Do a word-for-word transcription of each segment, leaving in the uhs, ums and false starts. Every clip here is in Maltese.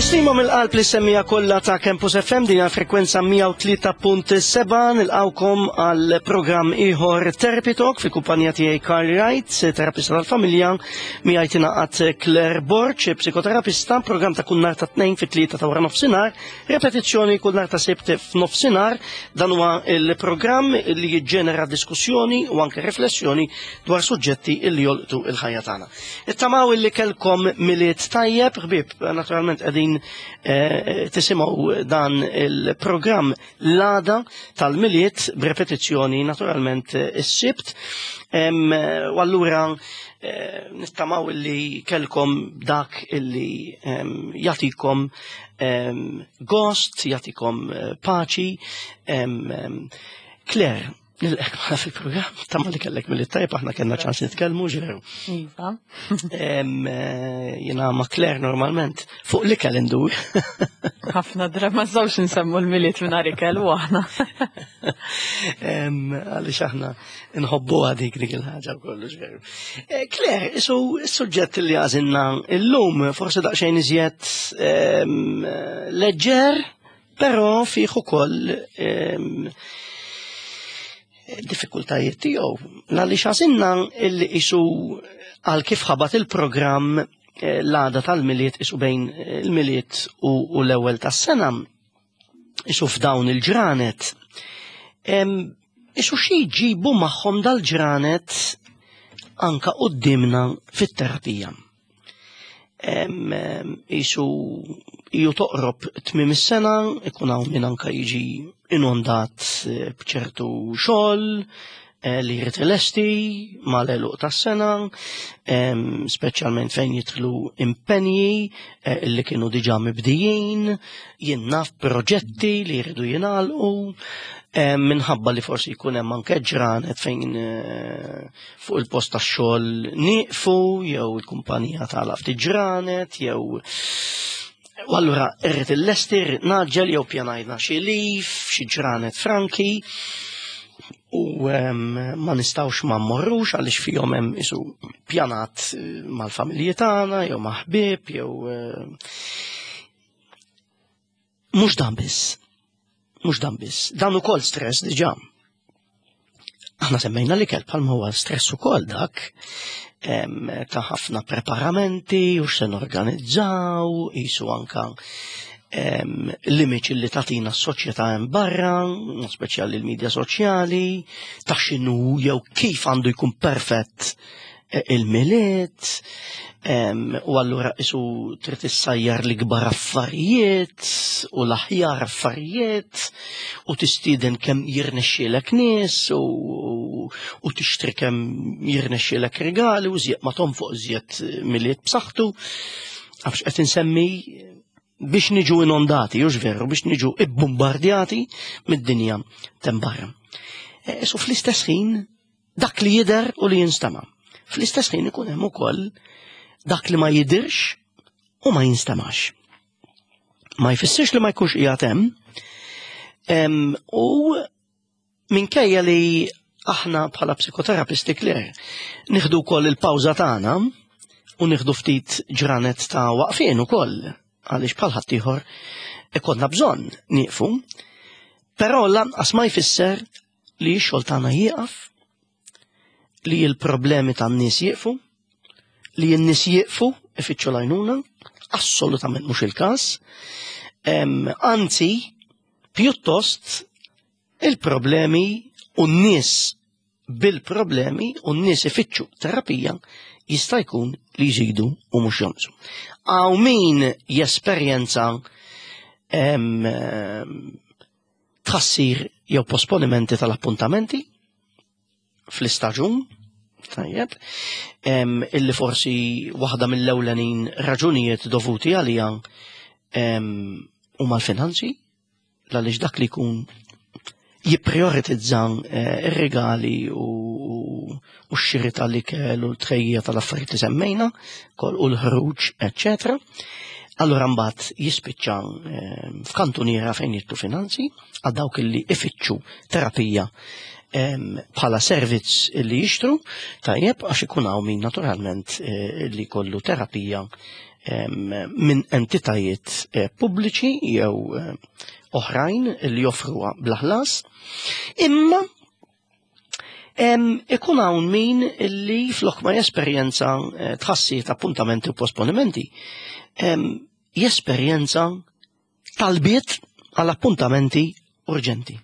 Tislima mill-qalb li semmija kollha ta' Campus F M din frekwenza mija u tlieta punt sebgħa. Nilqawkom għal programm ieħor Therapy Talk fi kumpanija tiegħi Carl Wright, terapista tal-familja, miegħi tingħaqad Claire Borg, psikoterapista, programm ta' kull nhar ta' tnejn fit-tlieta ta' wara nofsinhar, repetizzjoni kull nhar ta' Sibt f'nofsinhar. Dan huwa il-programm li jiġġenera diskussjoni u anke riflessjoni dwar suġġetti li jolqtu il-ħajja tagħna. Nittamaw illi kellkom Milied tajjeb, ħbieb, naturalment qegħdin eh, tisimgħu dan il-programm l-għada tal-Milied b'repetizzjoni naturalment eh, is-Sibt. Em, U allura eh, nittamaw illi kellkom dak illi em, jagħtikom em, gost, jagħtikom eh, paċi. Em, em, Claire, nilqgħek magħna fil-programm, nittama li kellek Milied tajjeb, aħna kellna ċans nitkellmu ġeru. Iva. Em, eh, Jiena ma' Claire normalment fuq li indur. Ħafna drabi ma nistgħux nsemmu l-Milied mingħajr ikel u aħna. Em, Għaliex aħna nħobbu dik dik il-ħaġa u kollox veru. Eh, Claire, isu s-suġġett li għażilna illum forsi daqsxejn iżjed em, leġġer, però fih ukoll em, diffikultajiet tiegħu. Għaliex għażilna illi isu għal kif ħabat il-programm eh, l-għada tal-Milied, isu bejn il-Milied u, u l-ewwel tas-sena, isu f'dawn il-ġranet. Em, Isu xi jġibu magħhom dal-ġranet anka qudiemna fit-terapija? Em, em, Isu iju toqrob tmiem is-sena, ikun hawn min anka jiġi inondat eh, b'ċertu xogħol eh, li jrid ilesti mal-għeluq tas-sena, em, speċjalment fejn jidħlu impenji eh, li kienu diġà mibdijin, jien naf proġetti li jridu jingħalqu, em, minħabba li forsi jkun hemm anke ġranet fejn eh, fuq il-post tax-xogħol nieqfu jew il-kumpanija tagħlaq ftit ġranet jew. U allura irrid illesti, irrid ngħaġġel jew pjanajna xi leave, xi ġranet franki u em, ma nistgħux ma mmorrux għaliex fihom hemm isu pjanat eh, mal-familji tagħna jew ma' ħbieb jew eh, mhux dan biss. Mhux dan biss. Dan ukoll stress diġà. Aħna semmejna l-ikel bħalma huwa stress ukoll dak em, ta' ħafna preparamenti u x'se norganizzaw, isu anka em, l-image li tagħtina s-soċjetà hemm barra, speċjali l-medja soċjali, ta' x'inhu jew kif għandu jkun perfett eh, il-Milied, em, u allura isu trid issajjar l-ikbar affarijiet u l-aħjar affarijiet u tistieden kemm jirnexxielek nies u, u, u tixtri kemm jirnexxielek rigali u żjed ma tonfoq żjed Milied b'saħħtu. Għax qed insemmi biex niġu inondati, hux veru, biex niġu ibbombardjati mid-dinja t'hemm barra. E, So fl-istess ħin dak li jidher u li jinstama. Fl-istess ħin ikun hemm ukoll dak li ma jidirx u ma jinstamax. Ma jfissirx li ma jkunx qiegħed hemm. Em, U minkejja li aħna bħala psikoterapisti, Claire, nieħdu wkoll il-pawża tagħna u nieħdu ftit ġranet ta' waqfien ukoll għaliex bħal ħaddieħor ikollna bżonn nieqfu, però lanqas ma jfisser li x-xogħol tagħna jieqaf, li l-problemi tan-nies jieqfu, li n-nies jieqfu ifittxu l-għajnuna, assolutament mhux il-każ. Em, Anzi, pjuttost il-problemi u n-nies bil-problemi u n-nies ifittxu terapija jista' jkun li jżidu u mhux jonqsu. Hawn min jesperjenza em, em, tħassir jew posponimenti tal-appuntamenti fl-istaġun, tajjeb, em, illi forsi waħda mill-ewlenin raġunijiet dovuti għalija em, huma l-finanzi, għaliex dak li jkun jipprioritizza eh, ir-regali u, u x-xiri tal-ikel u l-tħejjija tal-affarijiet li semmejna, kol u l-ħruġ, eccetera. Allura mbagħad jispiċċa eh, f'kantuniera fejn jidħlu finanzi għal dawk illi ifittxu terapija em, bħala servizz illi jixtru, tajjeb, għax ikun hawn min naturalment eh, li kollu terapija minn entitajiet eh, pubbliċi jew eh, oħrajn li joffruha bla ħlas. Imma ikun hawn min li flok ma jesperjenza eh, tħassir ta' appuntamenti u posponimenti, jesperjenza talbiet għal appuntamenti urġenti.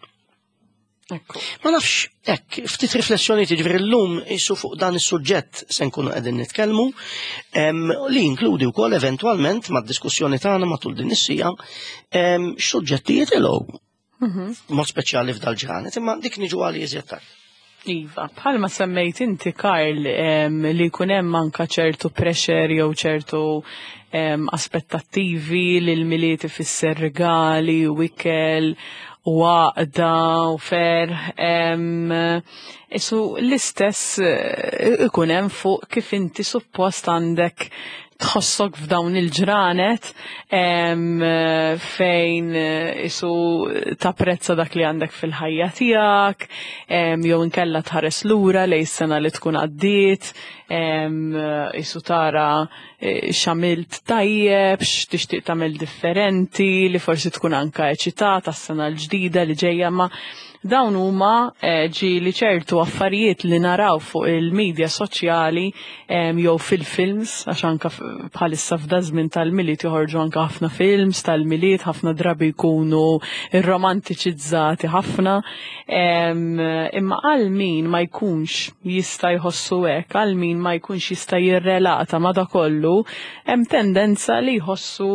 Ekku. Ma nafx, hekk, ftit riflessjoni, ġifieri llum isu fuq dan is-suġġett se nkunu qegħdin nitkellmu, li jinkludi wkoll eventwalment mad-diskussjoni tagħna matul din is-siegħa x'suġġetti jitilgħu. Mhm. Mod speċjali f'dal-ġranet, imma dik niġu għal iżjed tard. Iva, bħalma semmejt inti, Karl, li jkun hemm anka ċertu pressure jew ċertu aspettattivi li l-Milied ifisser regali u ikel u għaqda u ferħ. Isu l-istess eh, ikun hemm fuq kif inti suppost għandek tħossok f'dawn il-ġranet fejn eh, isu tapprezza dak li għandek fil-ħajja tiegħek, jew inkella tħares lura lejn sena li tkun għaddiet, isu tara eh, x'għamilt tajjeb, x'tixtieq tagħmel differenti, li forsi tkun anka eċitata s-sena l-ġdida li ġejja, ma dawn huma eh, ġieli ċertu affarijiet li naraw fuq il-medja soċjali jew fil-films, għax anka bħalissa f'da żmien tal-Milied joħorġu anka ħafna films tal-Milied, ħafna drabi jkunu romantiċizzati ħafna. Imma għal min ma jkunx jista' jħossu hekk, għal min ma jkunx jista' jirrelata ma da kollu, hemm tendenza li jħossu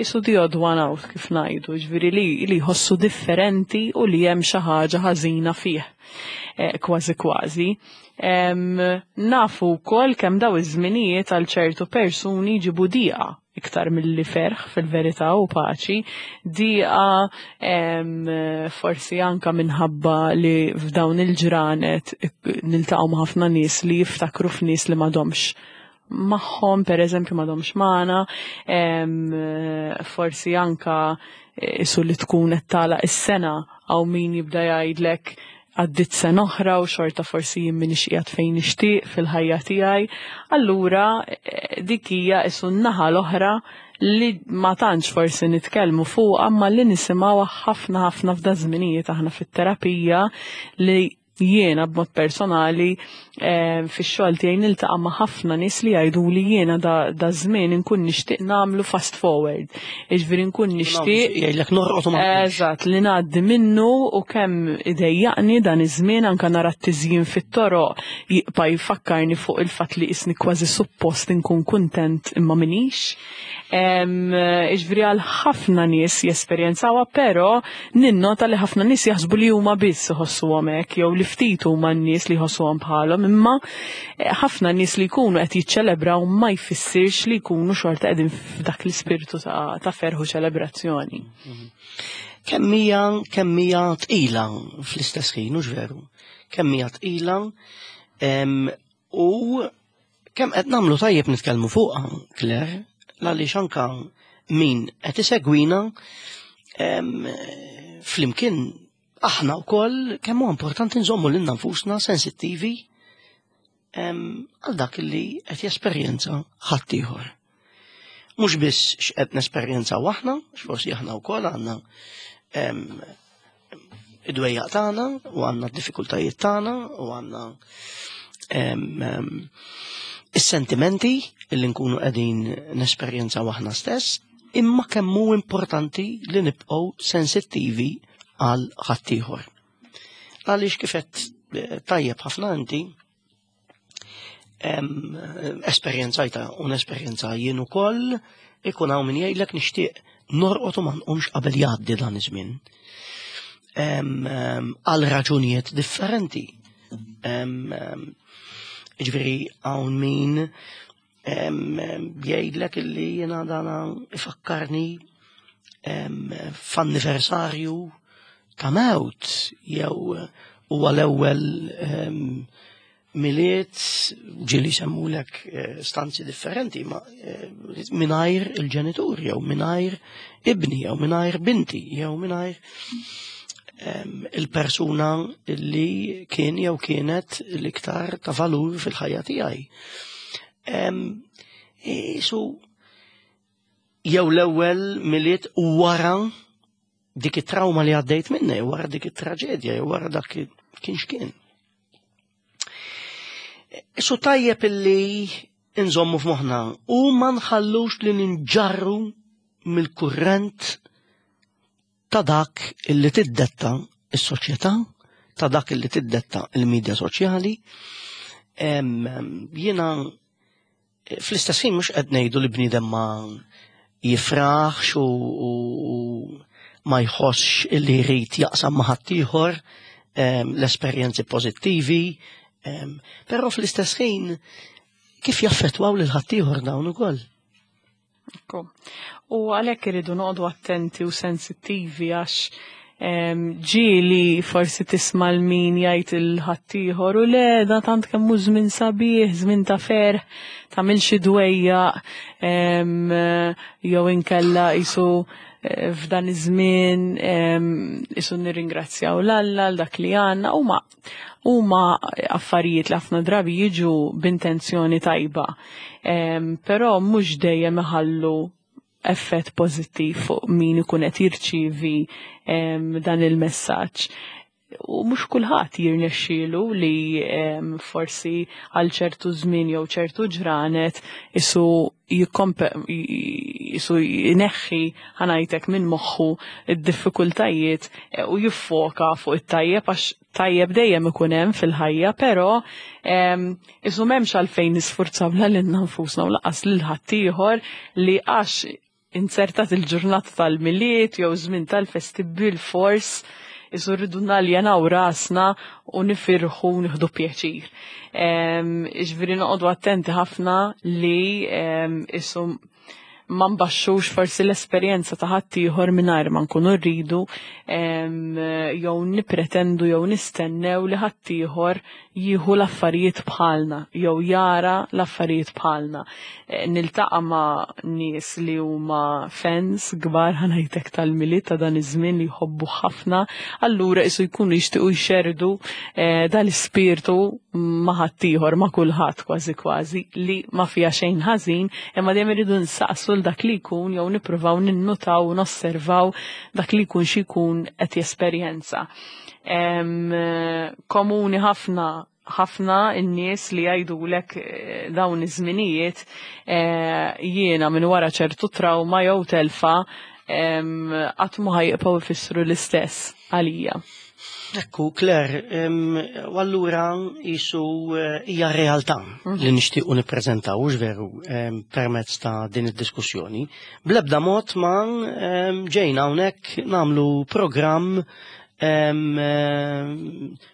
isu the odd one out, kif ngħidu, ġifieri li, li jħossu differenti u li hemm xi ħaġa ħażina fih. Eh, kważi kważi. Nafu wkoll kemm daw iż-żminijiet għal ċertu persuni ġibu diqa iktar mill-li ferħ fil-verità u paċi, diqa forsi anka minħabba li f'dawn il-ġranet niltaqgħu ma' ħafna nies li jiftakru f'nies li m'għadhomx magħhom, per eżempju, m'għadhomx magħna, forsi anka isu li tkun qed tagħlaq is-sena, għaw min jibda jgħidlek għaddit sena oħra u xorta forsi jien m'iniex qiegħed fejn nixtieq fil-ħajja tiegħi. Allura eh, dik hija isu n-naħa l-oħra li ma tantx forsi nitkellmu fuq, amma li nisimgħu ħafna ħafna f'da żminijiet aħna fit-terapija, li jiena b'mod personali eh, fix-xogħol tiegħi niltaqa' ma' ħafna nies li jgħidu li jiena da, da żmien inkun nixtieq nagħmlu fast forward. Jiġifieri nkun nixtieq Jgħidlek norqod u ma nqumx. Eżatt, li ngħaddi minnu u kemm idejjaqni dan iż-żmien, anka nara t-tiżjin fit-toroq jibqa' jfakkarni fuq il-fatt li isni kważi suppost inkun kuntent imma minix. Jiġifieri għal ħafna nies jesperjenzawha, però ninnota li ħafna nies jaħsbu li huma biss iħossuhom hekk jew li ftit huma n-nies li jħossuhom bħalhom, imma eh, ħafna nies li jkunu qed jiċċelebraw ma jfissirx li jkunu xorta qegħdin f'dak l-ispirtu ta', ta' ferħ u ċelebrazzjoni. Kemm hija kemm hija tqila fl-istess ħin, hux veru? Kemm hija tqila em, u kemm qed nagħmlu tajjeb nitkellmu fuqha, Claire, għaliex anka min qed isegwina em, flimkien aħna wkoll kemm huwa importanti nżommu lilna nfusna sensittivi em, għal dak li qed jesperjenza ħaddieħor. Mhux biss x'qed nesperjenzaw aħna, x'forsi aħna wkoll għandna em, id-dwejjaq tagħna u għandna d-diffikultajiet tagħna u għandna em, em, is-sentimenti li nkunu qegħdin nesperjenzaw aħna stess, imma kemm hu importanti li nibqgħu sensittivi għal ħaddieħor. Għaliex kif qed eh, tajjeb ħafna inti, em, esperjenzajta u nesperjenza jien ukoll, ikun hawn min jgħidlek nixtieq norqod u ma nqumx qabel jgħaddi dan iż-żmien. Em, em, Għal raġunijiet differenti. Em, em, Ġifieri hawn min em, em, jgħidlek illi jiena dana ifakkarni em, f'anniversarju ta' mewt jew huwa l-ewwel em, Milied, ġieli semmulek eh, stanzi differenti, ma eh, mingħajr il-ġenitur, jew mingħajr ibni, jew mingħajr binti, jew mingħajr em, il-persuna li kien jew kienet l-iktar ta' valur fil-ħajja tiegħi. Em, Isu jew l-ewwel Milied wara dik it-trauma li għaddejt minna, jew wara dik it-traġedja, jew wara dak kien x'kien. Isu tajjeb illi nżommu f'moħħna u ma nħallux li ninġarru mill-kurrent ta' dak illi tiddetta is-soċjetà, ta' dak illi tiddetta il-medja soċjali. Jiena fl-istess ħin mhux qed ngħidu li bniedem ma jifraħx u, u, u ma jħossx illi jrid jaqsam ma' ħaddieħor l-esperjenzi pożittivi, però fl-istess ħin kif jaffettwaw lil ħaddieħor dawn ukoll. Ekku. U għalhekk iridu noqogħdu attenti u sensittivi, għax ġieli forsi tisma' 'l min jgħid lil ħaddieħor u le, da tant kemm hu żmien sabiħ, żmien ta' ferħ, tagħmel xi dwejjaq, jew inkella isu eh, f'dan iż-żmien isu nirringrazzjaw 'l Alla għal dak li għandna. Huma huma affarijiet li ħafna drabi jiġu b'intenzjoni tajba, però mhux dejjem iħallu effett pożittiv fuq min ikun qed jirċievi dan il-messaġġ. U mhux kulħadd jirnexxielu li forsi għal ċertu żmien jew ċertu ġranet isu jikkompe isu jneħħi, ħa ngħidlek, minn moħħu id-diffikultajiet eh, u jiffoka fuq it-tajjeb, għax tajjeb dejjem ikun hemm fil-ħajja, però isu m'hemmx għalfejn nisfurzaw la lilna nfusna u lanqas lil ħaddieħor li għax inzertat il-ġurnata tal-Milied jew żmien tal-festi bil-fors isu rridu naljenaw rasna u nifirħu, nieħdu pjaċir. Ġifieri noqogħdu attenti ħafna li isu ma nbaxxux forsi l-esperjenza ta' ħaddieħor mingħajr ma nkunu rridu, jew nipretendu jew nistennew li ħaddieħor jieħu l-affarijiet bħalna jew jara l-affarijiet bħalna. E, niltaqa' ma' nies li huma fans kbar, ħa ngħidlek, tal-Milied, ta' dan iż-żmien li jħobbu ħafna, allura isu jkunu jixtiequ jxerdu e, dal-ispirtu ma' ħaddieħor, ma' kulħadd kważi kważi, li ma fiha xejn ħażin, imma dejjem iridu nsaqsu l dak li jkun jew nippruvaw ninnutaw u nosservaw dak li jkun xi jkun qed jesperjenza. Komuni ħafna ħafna n-nies li jgħidulek eh, dawn iż-żminijiet eh, jiena minn wara ċertu trauma jew telfa qatt ma ħa jibqgħu jfissru l-istess għalija. Ekku, Claire, u allura jisu eh, hija realtà mhm. li nixtiequ nippreżentaw, hux veru, permezz ta' din id-diskussjoni. Bl-ebda mod ma ġejna hawnhekk nagħmlu programm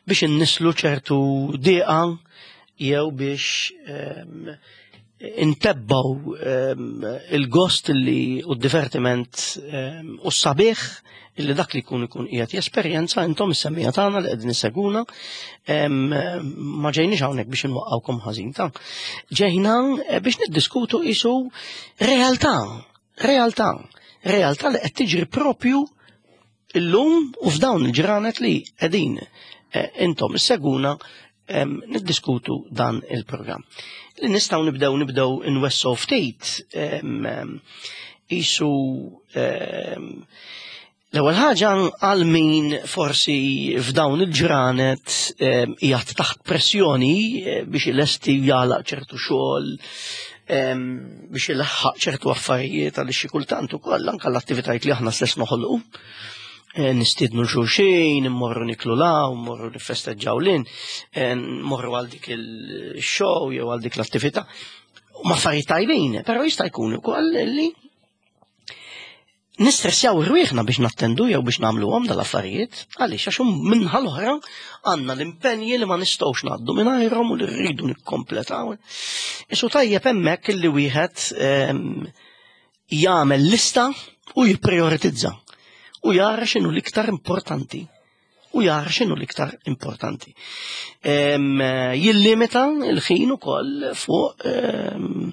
biex innislu ċertu diqa jew biex intebbaw il-gost li u d-divertiment u s-sabiħ illi dak li jkun ikun qiegħed jesperjenza, intom is-semmiegħa tagħna li qegħdin isseguna. Ma ġejniex hawnhekk biex inwaqqawkom ħażin ta'. Ġejna eh, biex niddiskutu isu realtà, realtà, realtà li qed tiġri propju illum u f'dawn il-ġranet li qegħdin eh, intom isseguna niddiskutu dan il-programm. Li nistgħu nibdew nibdew inwessgħu ftit isu l-ewwel ħaġa għal min forsi f'dawn il-ġranet qiegħed taħt pressjoni eh, biex ilesti, jagħlaq ċertu xogħol, biex ilaħħaq ċertu affarijiet, għal xi kultant ukoll anke l-attivitajiet li aħna stess noħolqu. Eh, nistiednu 'l xulxin, immorru niklu la, mmorru nifesteġġaw lin, eh, mmorru għal dik il-show jew għal dik l-attività. Ma affarijiet tajbin, però jista' jkun ukoll li nistressjaw rwieħna biex nattendu jew biex nagħmluhom dal-affarijiet, għaliex għax min-naħa l-oħra għandna l-impenji li ma nistgħux ngħaddu mingħajrhom u li rridu nikkompletaw. Isu tajjeb hemmhekk illi wieħed ehm, jagħmel lista u jipprioritizza u jara x'inhu l-iktar importanti u jara x'inhu l-iktar importanti. Ehm, jillimita il-ħin ukoll fuq ehm,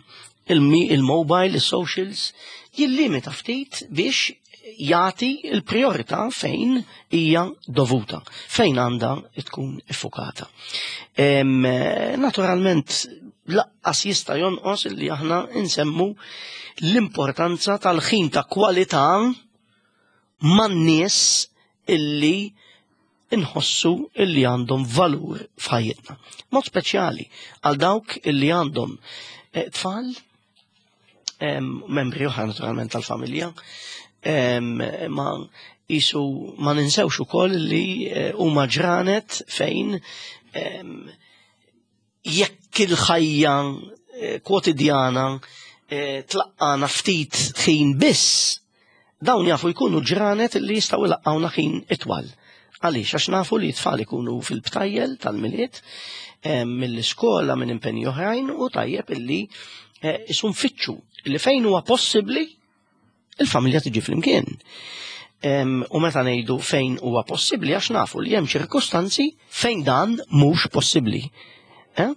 il-mobile, il-socials, jillimita ftit biex jagħti il-priorità fejn hija dovuta, fejn għandha tkun iffukata. Naturalment, Lanqas jista' jonqos li aħna nsemmu l-importanza tal-ħin ta' kwalità man-nies illi inħossu illi għandhom valur f'ħajjitna. Mod speċjali għal dawk illi għandhom eh, tfal, membri oħra naturalment tal-familja, ma jisu ma ninsewx ukoll li eh, huma ġranet fejn jekk il-ħajja eh, kwotidjana tlaqqana ftit ħin biss, dawn jafu jkunu ġranet li jistgħu jlaqqawna ħin itwal. Għaliex, għax nafu li tfal ikunu fil-btajjel tal-Milied, mill-iskola, minn impenji oħrajn, u tajjeb illi eh, nfittxu li fejn huwa possibbli il-familja tiġi flimkien. U meta ngħidu fejn huwa possibbli, għax nafu li hemm ċirkustanzi fejn dan mhux possibbli. Eh?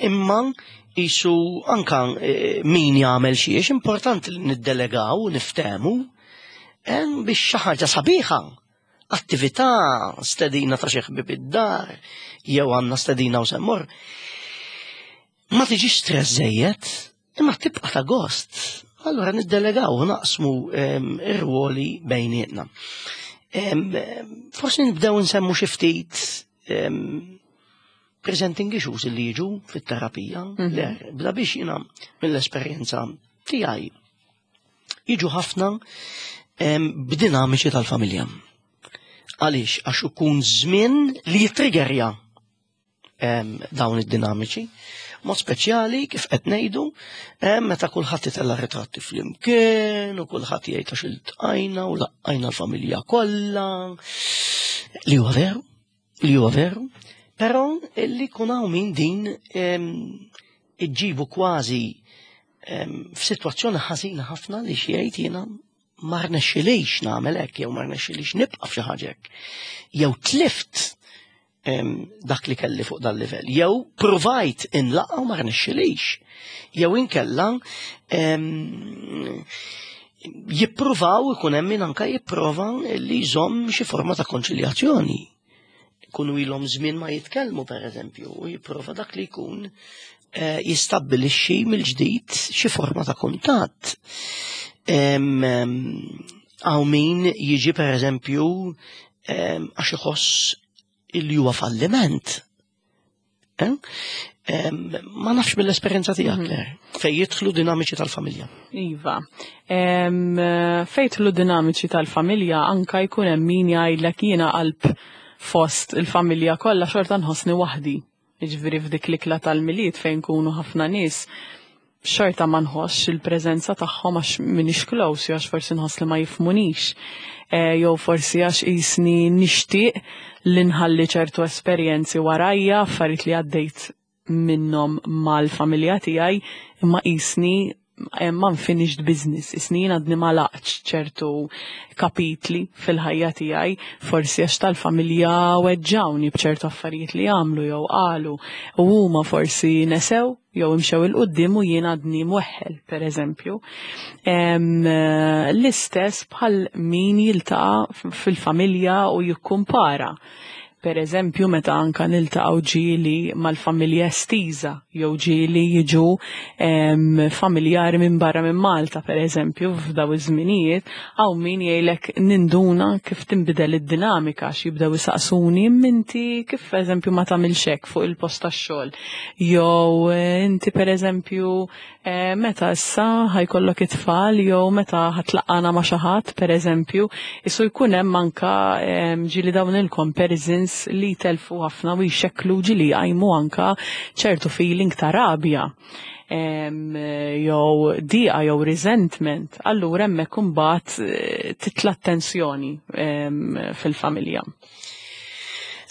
Imma jisu anka eh, min jagħmel xiex, importanti li niddelegaw, niftemu biex xi ħaġa sabiħa, attività, stedina ta' xi ħbieb id-dar, jew għandna stedina u semmur. Ma tiġix stress żejjed, imma tibqa' ta' gost. Allora niddelegaw u naqsmu ir-ruoli bejnietna. Forsi nibdew nsemmu xi ftit presenting issues li jiġu fit-terapija. Mhm. Le, bla biex jiena mill-esperjenza tiegħi jiġu ħafna b'dinamiċi tal-familja. Għaliex? Għax ikun żmien li jitriggerja dawn id-dinamiċi. Mod speċjali, kif qed ngħidu, meta kulħadd itella' ritratti flimkien u kulħadd jgħid għax iltqajna u laqqajna l-familja kollha. Li huwa veru, li huwa veru, però li jkun hawn min din iġġibu kważi f'sitwazzjoni ħażina ħafna li xi jgħid, "Jiena ma rnexxilix nagħmel hekk" jew "ma rnexxilix nibqa' f'xi ħaġa hekk". Jew tlift dak li kelli fuq dal-livell. Jew provajt inlaqqa u ma rnexxilix. Jew inkella jippruvaw, ikun hemm min anka jipprova li jżomm xi forma ta' konċiljazzjoni. Kunu ilhom żmien ma jitkellmu, per eżempju, u jipprova dak li jkun eh, jistabbilixxi mill-ġdid xi forma ta' kuntatt. Hawn min jiġi, per eżempju, għax iħoss illi huwa falliment. Eh? Ma nafx mill-esperjenza tiegħek, mhm. Claire, fej jidħlu dinamiċi tal-familja. Iva. Fej jidħlu dinamiċi tal-familja, anka jkun hemm min jgħidlek, "Jiena qalb fost il-familja kollha xorta nħossni waħdi." Jiġifieri f'dik l-ikla tal-Milied fejn kunu ħafna nies, xorta ma nħossx il-preżenza tagħhom għax minix close, jew għax forsi nħoss li ma jifhmunix. E, jew forsi għax jisni nixtieq li nħalli ċertu esperjenzi warajja, affarijiet li għaddejt minnhom mal-familja tiegħi, imma jisni hemm unfinished business, isni jien għadni ma laqtx ċertu kapitli fil-ħajja tiegħi, forsi għax tal-familja weġġawni b'ċertu affarijiet li għamlu jew qalu, u huma forsi nesew jew imxew 'il quddiem u jien għadni mweħħel, per eżempju. L-istess bħal min jiltaqa' fil-familja u jikkumpara. Per eżempju, meta anka niltaqgħu ġieli mal-familja estiża jew ġieli jiġu familjari minn barra minn Malta, per eżempju, f'daw iż-żminijiet, hawn min jgħidlek, "Ninduna kif tinbidel id-dinamika għax jibdew isaqsuni minti kif, eżempju, ma tagħmilx hekk fuq il-post tax-xogħol. Jew eh, inti, per eżempju, eh, meta issa ħa jkollok it-tfal jew meta ħa tlaqqagħna ma' xi ħadd?" Per eżempju, isu jkun hemm anka ġieli dawn il-comparisons li telfu ħafna u jxekklu, ġieli jqajmu anka ċertu feeling ta' rabja jew diqa jew resentment, allura hemmhekk imbagħad eh, titla' tensjoni fil-familja.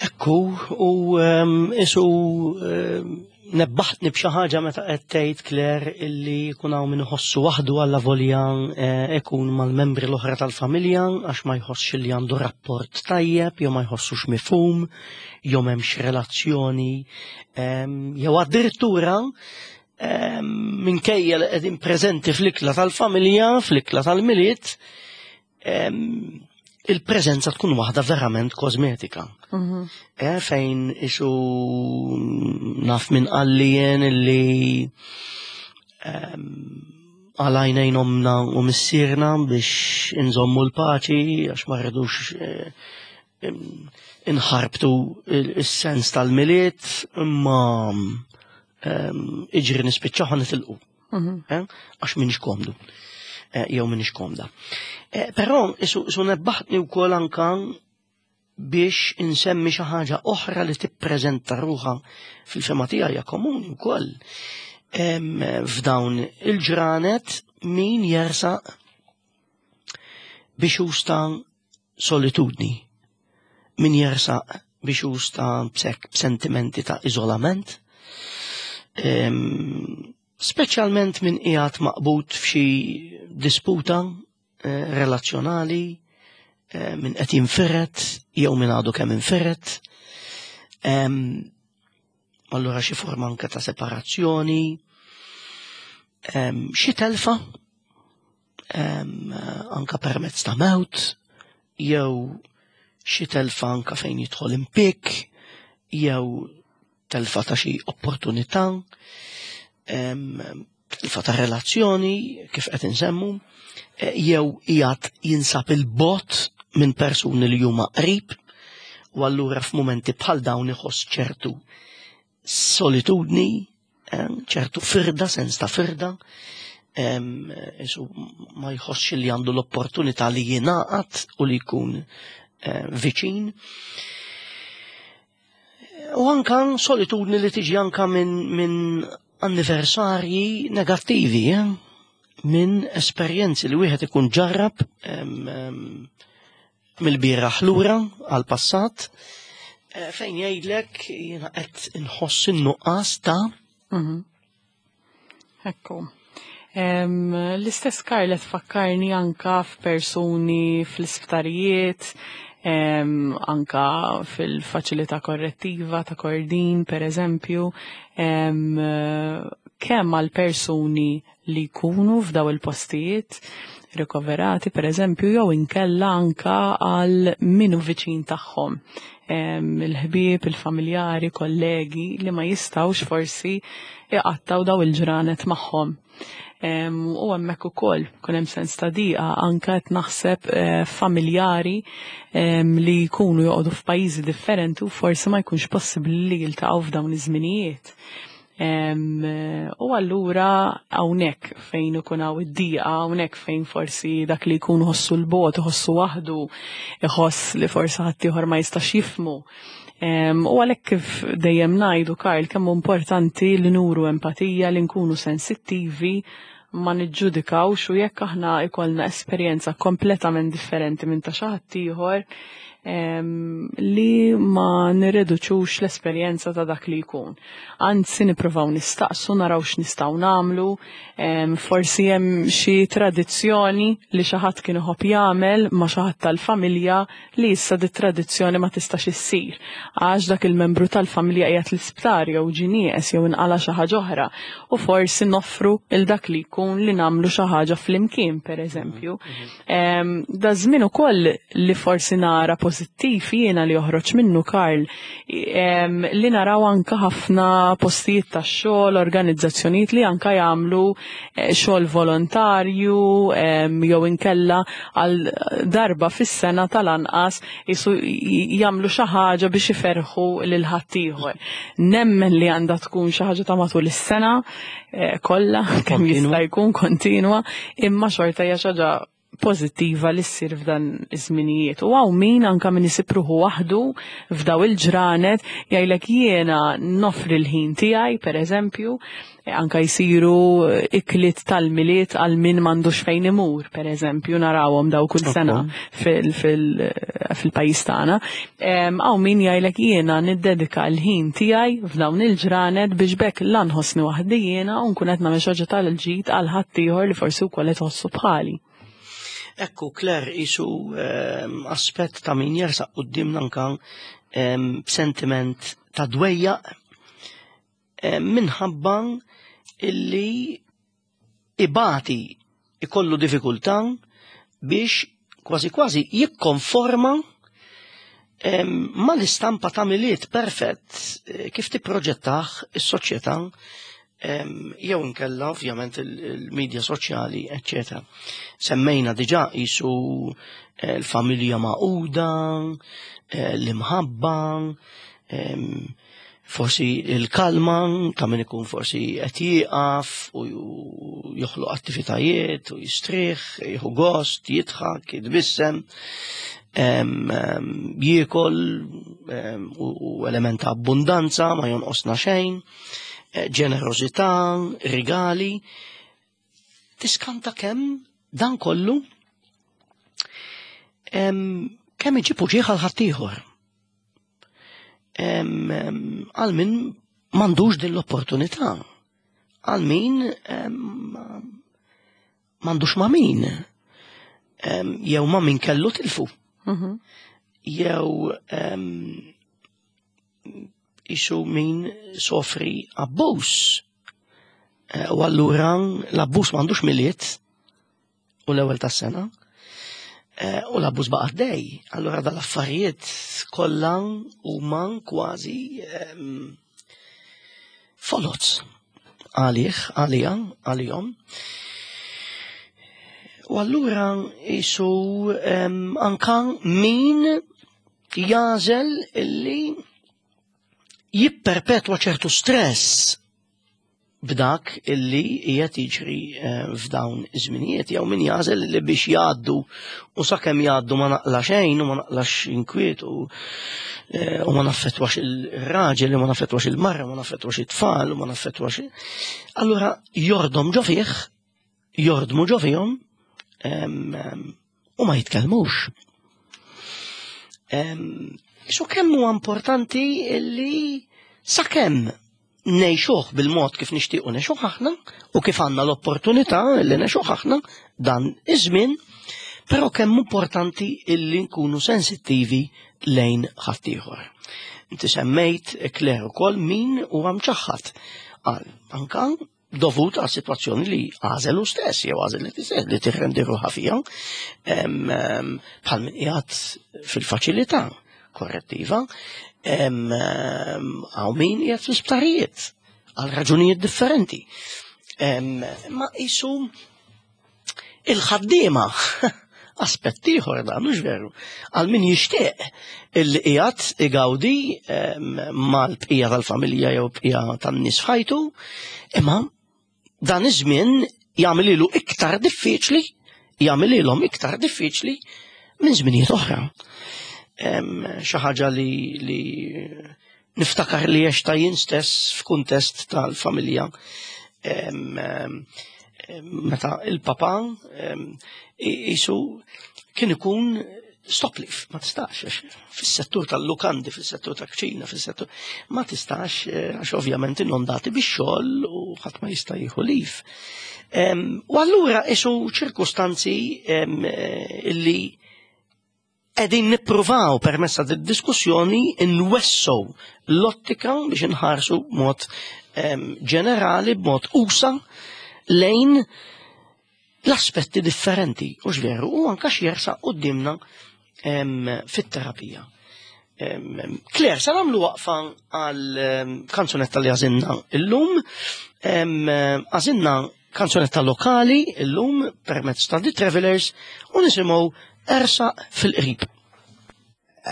Ekku, u isu nebbaħtni b'xi ħaġa meta qed tgħid, Claire, illi jkun hawn min iħossu waħdu alla volja eh, ikun mal-membri l-oħra tal-familja, għax ma jħossx li għandu rapport tajjeb jew ma jħossux mifhum jew m'hemmx relazzjoni, jew addirittura minkejja li qegħdin preżenti fl-ikla tal-familja, fl-ikla tal-Milied, il-preżenza tkun waħda verament kosmetika. Mhm. Eh, fejn isu naf minn qalli jien illi ehm, għalajnejn omna u missierna biex inżommu l-paċi għax ma rridux eh, in- inħarbtu il-sens tal-Milied, imma ehm, iġri nispiċċaw nitilqu. Mhm. Eh, għax minix komdu. Eh, jew minix komda. Eh, Però isu, isu nebbaħtni wkoll anka biex insemmi xi ħaġa oħra li tippreżenta ruħha fil-fema tiegħi hija komuni wkoll. Em, F'dawn il-ġranet min jersaq biex justa solitudni, min jersaq biex justa b'sek b'sentimenti ta' iżolament, Em, speċjalment min qiegħed maqbud f'xi disputa eh, relazzjonali, eh, min qed jinfired jew min għadu kemm infired. Em, Allura xi forma anke ta' separazzjoni, em, xi telfa, em, anka permezz ta' mewt, jew xi telfa anka fejn jidħol impik, jew telfa ta' xi opportunità, em, telfa ta' relazzjoni, kif qed insemmu, eh, jew qiegħed jinsab il-bogħod minn persuni li huma qrib, u allura f'mumenti bħal dawn iħoss ċertu solitudni, em, ċertu firda, sens ta' firda, em, isu ma jħossx li għandu l-opportunità li jingħaqad u li jkun eh, viċin. U anka solitudni li tiġi anka minn min anniversarji negattivi, eh? Minn esperjenzi li wieħed ikun ġarrab em, em, mill-bieraħ lura għal-passat, eh, fejn jgħidlek jiena qed inħoss in-nuqqas ta' Mhm. Ekku. Em, L-istess Karlet fakkarni anka f'persuni fl-isptarijiet, em, anka fil-faċilità korrettiva ta' Kordin, per eżempju, em, kemm għal persuni li jkunu f'daw il-postijiet rikoverati, per eżempju, jew inkella anka għal minu viċin tagħhom. Em, Il-ħbieb, il-familjari, kollegi li ma jistawx forsi iqattaw daw il-ġranet magħhom. Em, U hemmhekk ukoll kun hemm sens ta' diqa anka qed naħseb eh, familjari em, li jkunu joqogħdu f'pajjiżi differenti u forsi ma jkunx possibbli li jiltaqgħu f'dawn iż-żminijiet. Em, U allura hawnhekk fejn ikun hawn id-diqa, hawnhekk fejn forsi dak li jkun ħossu l-bogħod, iħossu waħdu, iħoss li forsi ħaddieħor ma jistax jifhmu. Em, U għalhekk kif dejjem ngħidu, Karl, kemm hu importanti li nuru empatija, li nkunu sensittivi, ma niġġudikawx u jekk aħna ikollna esperjenza kompletament differenti minn ta' xi ħadd ieħor, em, li ma nirreduċux l-esperjenza ta' dak li jkun. Anzi, nippruvaw nistaqsu, naraw x'nistgħu nagħmlu, em, forsi hemm xi tradizzjoni li xi ħadd kien iħobb jagħmel ma' xi ħadd tal-familja li issa di tradizzjoni ma tistax issir. Għax dak il-membru tal-familja qiegħed l-isptar jew ġie nieqes jew inqala xi ħaġa oħra u forsi noffru il dak li jkun li nagħmlu xi ħaġa flimkien, per eżempju. Em, Da żmien ukoll li forsi nara pożittiv jiena li joħroġ minnu, Karl, em, li naraw anka ħafna postijiet ta' xogħol, organizzazzjonijiet li anka jagħmlu eh, xogħol volontarju em, jew inkella għal darba fis-sena tal-anqas jisu jagħmlu xi ħaġa biex iferħu lil ħaddieħor. Nemmen li għandha tkun xi ħaġa ta' matul is-sena eh, kollha kemm Kontinwa. jista' jkun kontinwa, imma xorta hija xi ħaġa pożittiva li ssir f'dan iż-żminijiet. U hawn min anka min isib ruħu waħdu f'daw il-ġranet jgħidlek jiena nofri l-ħin tiegħi, per eżempju, anka jsiru ikliet tal-Milied għal min m'għandux fejn imur, per eżempju, narawhom daw kull sena fil- fil- fil-pajjiż tagħna. Em, Hawn min jgħidlek jiena niddedika l-ħin tiegħi f'dawn il-ġranet biex bekk la nħossni waħdi jiena u nkun qed nagħmel xi ħaġa tal-ġid għal ħaddieħor li forsi wkoll qed iħossu bħali. Ekku, Claire, isu ehm, aspett ta' min jersaq qudiemna anka ehm, b'sentiment ta' dwejjaq ehm, minħabba illi ibati ikollu diffikultà biex kważi kważi jikkonforma mal-istampa ta' Milied perfett kif tipproġettah is-soċjetà jew inkella ovvjament il-medja soċjali, eċċetera. Semmejna diġà qisu l-familja magħquda, l-imħabba, forsi il-kalma ta' min ikun forsi qed jieqaf u joħloq attivitajiet u jistrieħ, jieħu gost, jidħak, jitbissem, jiekol u element ta' abbundanza, ma jonqosna xejn, ġenerożità, rigali. Tiskanta kemm dan kollu kemm iġib uġigħ għal ħaddieħor. Għal min m'għandux din l-opportunità, għal min m'għandux ma' min, jew ma' min kellu tilfu, jew isu min sofri abbuż. U allura l-abbuż m'għandux Milied u l-ewwel tas-sena, u l-abbuż baqa' għaddej. Allura dal-affarijiet kollha huma kważi foloz għalih, għalija, għalihom. U allura isu anka min jagħżel illi jipperpetwa ċertu stress b'dak illi qiegħed jiġri f'dawn iż-żminijiet, jew min jagħżel li biex jgħaddu u sakemm jgħaddu ma naqla xejn u ma naqlax inkwiet u u ma naffettwax il-raġel, u ma naffettwax il-marra, u ma naffettwax it-tfal, u ma naffettwax. Allura jordom ġo fih, jordmu ġo fihom u ma jitkellmux. Isu kemm huwa importanti illi sakemm ngħixuh bil-mod kif nixtiequ ngħixuh aħna u kif għandna l-opportunità li ngħixuh aħna dan iż-żmien, però kemm importanti illi nkunu sensittivi lejn ħaddieħor. Inti semmejt, Claire, ukoll min huwa mċaħħad għal anka dovut għal situazzjoni li għażel hu stess jew għażel li tisel li tirrendi ruħha fiha, bħal min qiegħed fil-faċilità korrettiva, għaw min qiegħed fl-isptarijiet għal raġunijiet differenti. Ma isu il-ħaddiema aspett ieħor dan, mhux veru, għal min jixtieq illi qiegħed igawdi mal-bqija tal-familja jew bqija tan-nies f'ħajtu, imma dan iż-żmien jagħmel iktar diffiċli, jagħmel iktar diffiċli minn żminijiet oħra. Xi ħaġa li, li niftakar li għexta jien stess f'kuntest tal-familja. Meta il-papa jisu kien ikun stop leave, ma tistax, fis-settur tal-lukandi, fis-settur tal-kċina, fis-settur, ma tistax, għax ovvjament inondati bix-xogħol u ħadd ma jista' jieħu leave. U allura isu ċirkustanzi illi qegħdin nippruvaw permezz ta' diskussjoni nwessew l-ottika biex inħarsu b'mod ġenerali, b'mod usa lejn l-aspetti differenti, u veru, u anka x'jersaq qudiemna fit-terapija. Claire, sa nagħmlu waqfa għal kanzunetta li għażilna illum, għażilna kanzunetta lokali illum permezz ta' The Travelers u nisimgħu Ersaq fil-qrib.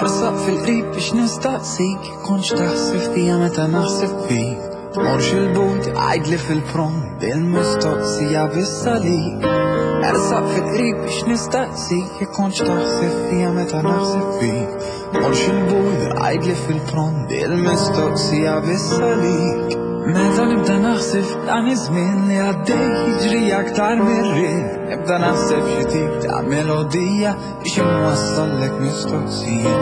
Ersaq fil-qrib biex nistaqsik, kontx taħseb fija meta naħseb fik. Tmorx il-but, għidli fil-pront, bil-mistoqsija biss għalik. Ersaq fil-qrib biex nistaqsik, kontx taħseb fija meta naħseb fik. Tmorx il-but, għidli fil-pront, bil-mistoqsija biss għalik. Meta nibda naħseb dan iż-żmien li għaddej jiġri aktar mir-riħ, nibda naħseb xi tip ta' melodija biex inwassallek mistoqsija.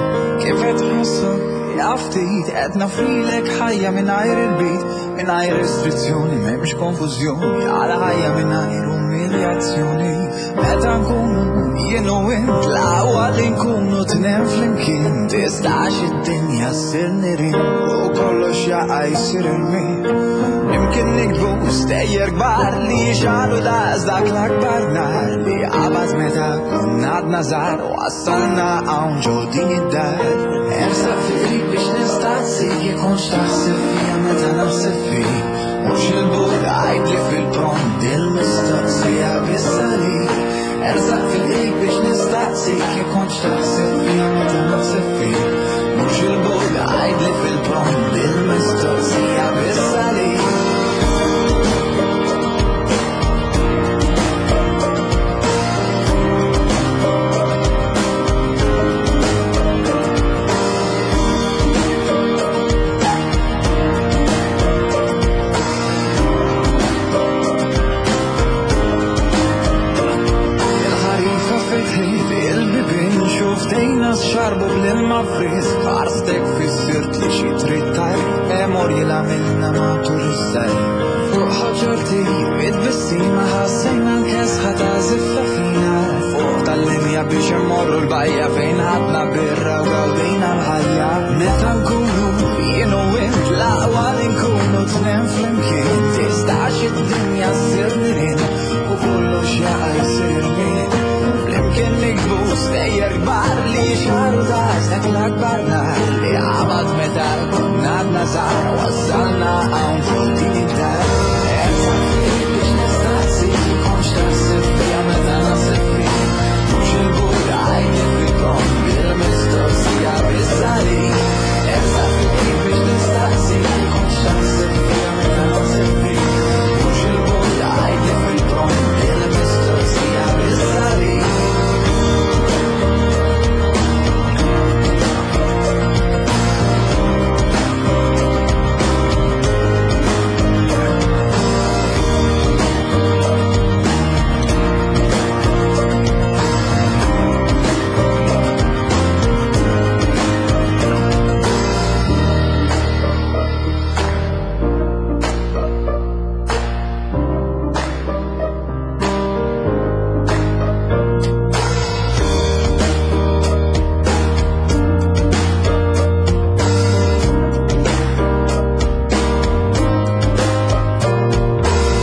Kif qed tħossok? Ja ftit qed nafrilek ħajja mingħajr il-bit, mingħajr restrizzjoni, m'hemmx konfużjoni, għal ħajja mingħajr umiljazzjoni. Meta nkunu jien u int l-aqwa li nkunu tnejn flimkien. Tistax id-dinja ssir nirien u kollox jaqa' jsir irmien. Imkien nikbu stejjer kbar li xalu daqs dak l-akbar nar li qabad meta konna għadna żgħar wassalna hawn ġo din id-dar. Ersaq fil-qrib biex nistaqsik jekk kontx taħseb fija meta naħseb fik. Mhux il-bogħod għidli fil-pront dil-mistoqsija biss għalik. Ersaq fil-qrib biex nistaqsik jekk kontx taħseb fija meta naħseb fik. Mhux il-bogħod għidli fil-pront dil-mistoqsija biss għalik. Il-ħarifa fetħit il-bibien xuftejna xarbu bl-ilma frisk. Ħarstek fissirt li xi trid tgħid, memorji li għamilna matul iż-żgħir. Fuq ħoġorti bit-tbissima ħassejna l-kesħa ta' żiffa fina. Fuq tal-linja biex immorru l-bajja fejn ħadna birra u gawdejna l-ħajja. Meta nkunu jien u int l-aqwa li nkunu tnejn flimkien. Tistax id-dinja ssir nirien u kollox jaqa' jsir irmien. Flimkien nikbu stejjer kbar li xaru daqs dak l-akbar nar li qabad meta konna għadna żgħar wassalna hawn ġo din id-dar. Ersaq fil-qrib biex nistaqsik jekk kontx taħseb fija meta naħseb fik. Mhux il-bogħod għidli fil-pront bil-mistoqsija biss għalik. Ersaq fil-qrib biex nistaqsik jekk kontx taħseb fija meta naħseb fik. Mhux il-bogħod għidli fil-pront bil-mistoqsija biss għalik.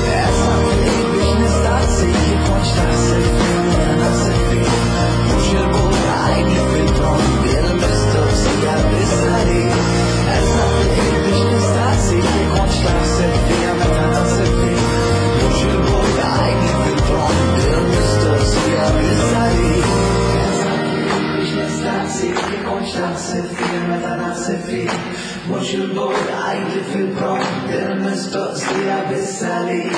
Ersaq fil-qrib biex nistaqsik jekk kontx taħseb fija meta naħseb fik. Mhux il-bogħod għidli fil-pront bil-mistoqsija biss għalik. Ersaq fil-qrib biex nistaqsik jekk kontx taħseb fija meta naħseb fik. Mhux il-bogħod għidli fil-pront bil-mistoqsija biss għalik. Ersaq fil-qrib biex nistaqsik jekk kontx taħseb fija meta naħseb fik. Mhux il-bogħod għidli fil-pront bil-mistoqsija biss għalik.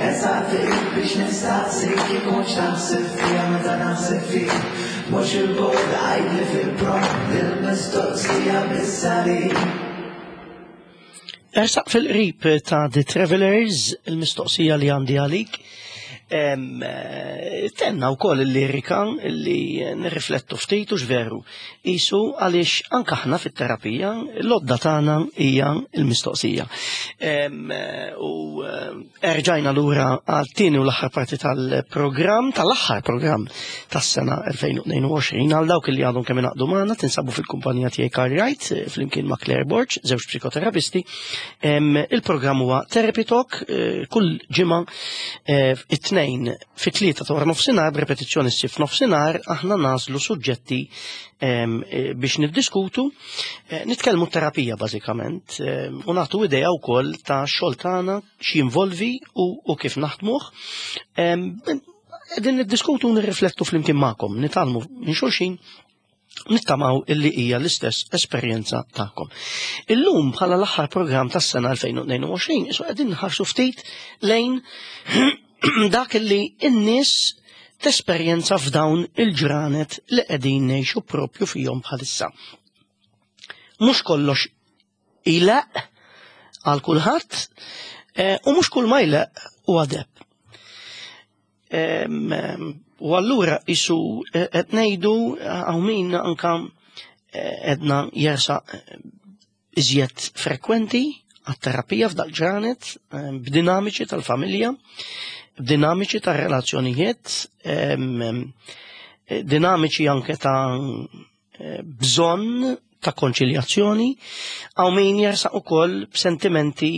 Ersaq fil-qrib biex nistaqsik jekk kontx taħseb fija meta naħseb fik. Mhux il-bogħod għidli fil-pront bil-mistoqsija biss għalik. Ersaq fil-qrib ta' The Travelers, il-mistoqsija li għandi għalik. Em, eh, Tenna wkoll il-lirika li nirriflettu ftit u veru. Isu għaliex anke aħna fit-terapija l-għodda tagħna hija l-mistoqsija. Em, eh, U eh, erġajna lura għal tieni u l-aħħar parti tal-programm, tal-aħħar programm tas-sena elfejn u tnejn u għoxrin. Għal dawk li għadhom kemm ingħaqdu magħna, tinsabu fil-kumpanija tiegħi Karl Wright, eh, flimkien ma' Claire Borg, żewġ psikoterapisti. Em, Il-programm huwa Therapy Talk, eh, kull ġimgħa eh, it-tnejn fit-tlieta ta' wara nofsinhar, b'repetizzjoni ssir f'nofsinhar, aħna nagħżlu suġġetti em, eh, biex niddiskutu, eh, nitkellmu terapija bażikament, em, u nagħtu idea wkoll ta' xogħol tagħna x'jinvolvi u, u kif naħdmuh. Em, Qegħdin niddiskutu u nirriflettu flimkien magħkom, nitgħallmu minn xulxin, nittamaw illi hija l-istess esperjenza tagħkom. Illum bħala l-aħħar programm tas-sena elfejn u tnejn u għoxrin, isu qegħdin nħarsu ftit lejn dak illi n-nies tesperjenza f'dawn il-ġranet li qegħdin ngħixu propju fihom bħalissa. Mhux kollox ileqq għal kulħadd eh, u mhux kull ma jleqq huwa deheb. Em, em, U allura isu eh, qed ngħidu hawn min anka eh, edna jersaq eh, iżjed frekwenti, għat-terapija f'dal-ġranet, eh, b'dinamiċi tal-familja, b'dinamiċi tar-relazzjonijiet, dinamiċi anke ta' bżonn ta' konċiljazzjoni, hawn min jersaq ukoll b'sentimenti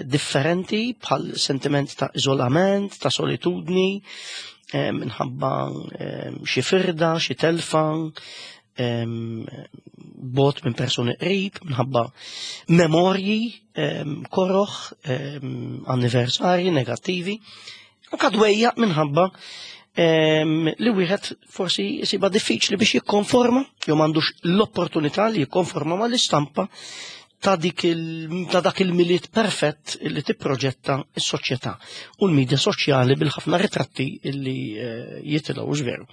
differenti bħal sentiment ta' iżolament, ta' solitudni, minħabba xi firda, xi telfa, bot minn persuni qrib, minħabba memorji, koroħ, anniversarji negattivi, anka dwejjaq minħabba li wieħed forsi jisibha diffiċli biex jikkonforma, jew m'għandux l-opportunità li jikkonforma mal-istampa ta' dik il, ta' dak il-Milied perfett li tipproġetta s-soċjetà u l-medja soċjali bil-ħafna ritratti li eh, jitilgħu veru.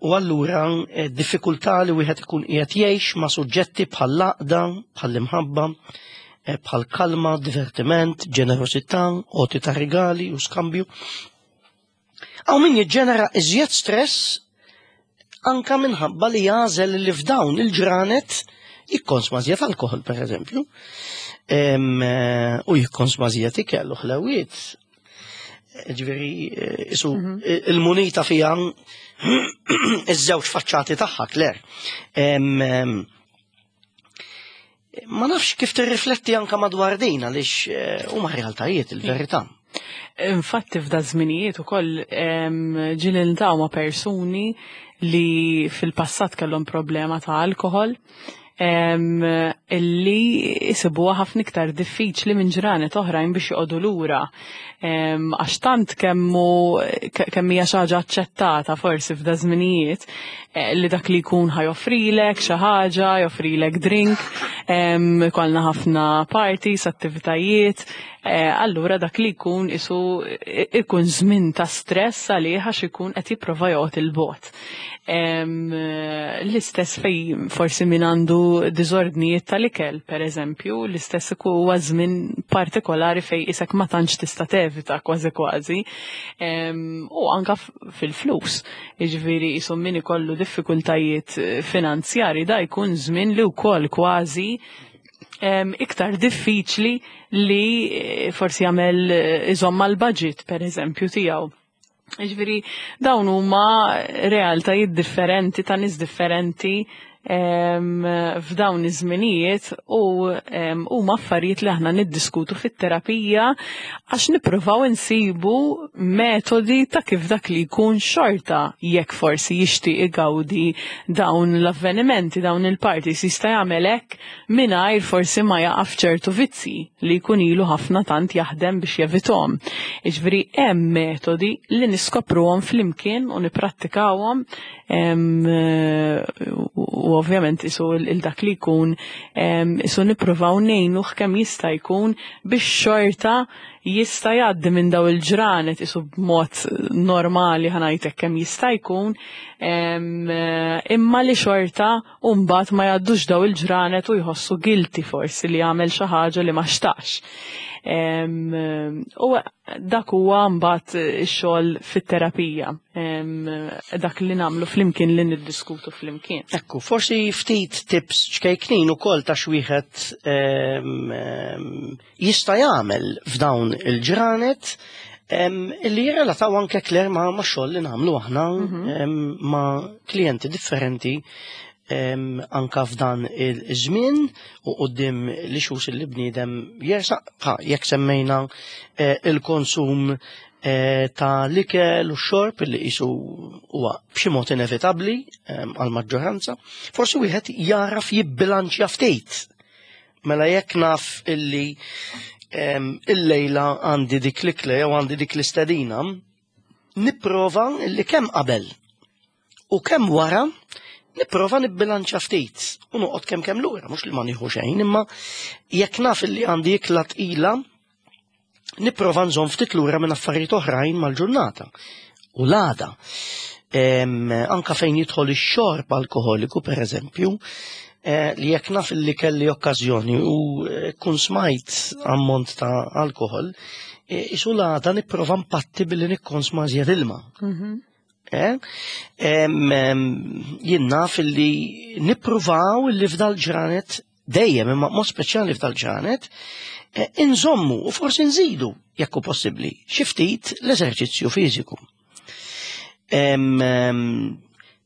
U allura eh, diffikultà li wieħed ikun qiegħed jgħix ma' suġġetti bħal laqda, bħal imħabba, eh, bħal kalma, divertiment, ġenerosità, għoti ta' rigali u skambju. Hawn min jiġġenera iżjed stress anka minħabba li jagħżel li f'dawn il-ġranet jikkonsma żjed alkohol, per eżempju, u jikkonsma żjed ikel u ħlewiet. Ġifieri, isu mhm. il-munita fija iż-żewġ faċċati tagħha, Claire. Ma nafx kif tirrifletti anka madwar din għaliex eh, huma realtajiet il-verità. Infatti f'da żminijiet ukoll ġieli niltaqgħu ma' persuni li fil-passat kellhom problema ta' alkohol illi jisibuha ħafna iktar diffiċli minn ġranet oħrajn biex joqogħdu lura. Għax tant kemmu kemm hija xi ħaġa aċċettata forsi f'da żminijiet eh, li dak li jkun ħa joffrilek xi ħaġa, joffrilek drink, kollna ħafna parties, attivitajiet, eh, allura dak li jkun isu ikun żmien ta' stress għalih għax ikun qed jipprova joqgħod il-bogħod. L-istess fej forsi min għandu diżordnijiet tal-ikel, per eżempju, l-istess huwa żmien partikolari fej isek ma tantx tista' tevita kważi kważi. U anka fil-flus. Jiġifieri isu min ikollu diffikultajiet finanzjari da jkun żmien li wkoll kważi iktar diffiċli li eh, forsi jagħmel eh, iżomm mal-budget per eżempju tiegħu. Ġifieri, dawn huma realtajiet differenti ta' nies differenti f'dawn iż-żminijiet u huma affarijiet li aħna niddiskutu fit-terapija għax nippruvaw insibu metodi ta' kif dak li jkun xorta jekk forsi jixtieq igawdi dawn l-avvenimenti, dawn il-parties jista' jagħmel hekk mingħajr forsi ma jaqa' f'ċertu vizzi li jkun ilu ħafna tant jaħdem biex jevithom. Jiġifieri hemm metodi li niskopruhom flimkien u nipprattikawhom u ovvjament isu il-dak li jkun isu nippruvaw ngħinuh kemm jista' jkun biex xorta jista' jgħaddi minn daw il-ġranet isu b'mod normali ħa ngħidlek kemm jista' jkun imma li xorta u mbagħad ma jgħaddux daw il-ġranet u jħossu guilty forsi li għamel xi ħaġa li ma xtaqx. U dak huwa mbagħad ix-xogħol fit-terapija, dak li nagħmlu flimkien li niddiskutu flimkien. Ekku, forsi ftit tips ċkejknin ukoll ta' x'wieħed jista' jagħmel f'dawn il-ġranet illi jirrelataw anke Claire ma' xogħol li nagħmlu aħna mhm. ma' klijenti differenti anka f'dan il-żmien u qudiem li xus li bniedem jersaq jekk semmejna eh, il-konsum eh, ta' l-ikel u xorb li qisu huwa b'xi mod inevitabbli għal maġġoranza, forsi wieħed jaraf jibbilanċja ftit. Mela jekk naf illi il-lejla għandi dik l-ikla jew għandi dik l-istedina, nipprova illi kemm qabel u kemm wara nipprova nibbilanċa ftit u noqgħod kemm kemm lura, mhux li ma nieħu xejn, imma jekk naf li għandi ikla tqila, nipprova nżomm ftit lura minn affarijiet oħrajn mal-ġurnata. U l-għada, anka fejn jidħol ix-xorb alkoholiku, per eżempju, eh, li jekk naf li kelli okkażjoni u eh, kun smajt ammont ta' alkohol, eh, isu l-għada nipprova mpatti billi nikkonsma żjed ilma. Mhm. Eh? Jien naf li nippruvaw li f'dal ġranet dejjem imma mod speċjali f'dal-ġranet, eh, inżommu u forsi nżidu, jekk hu possibbli, xi ftit l-eżerċizzju fiżiku. Em, em,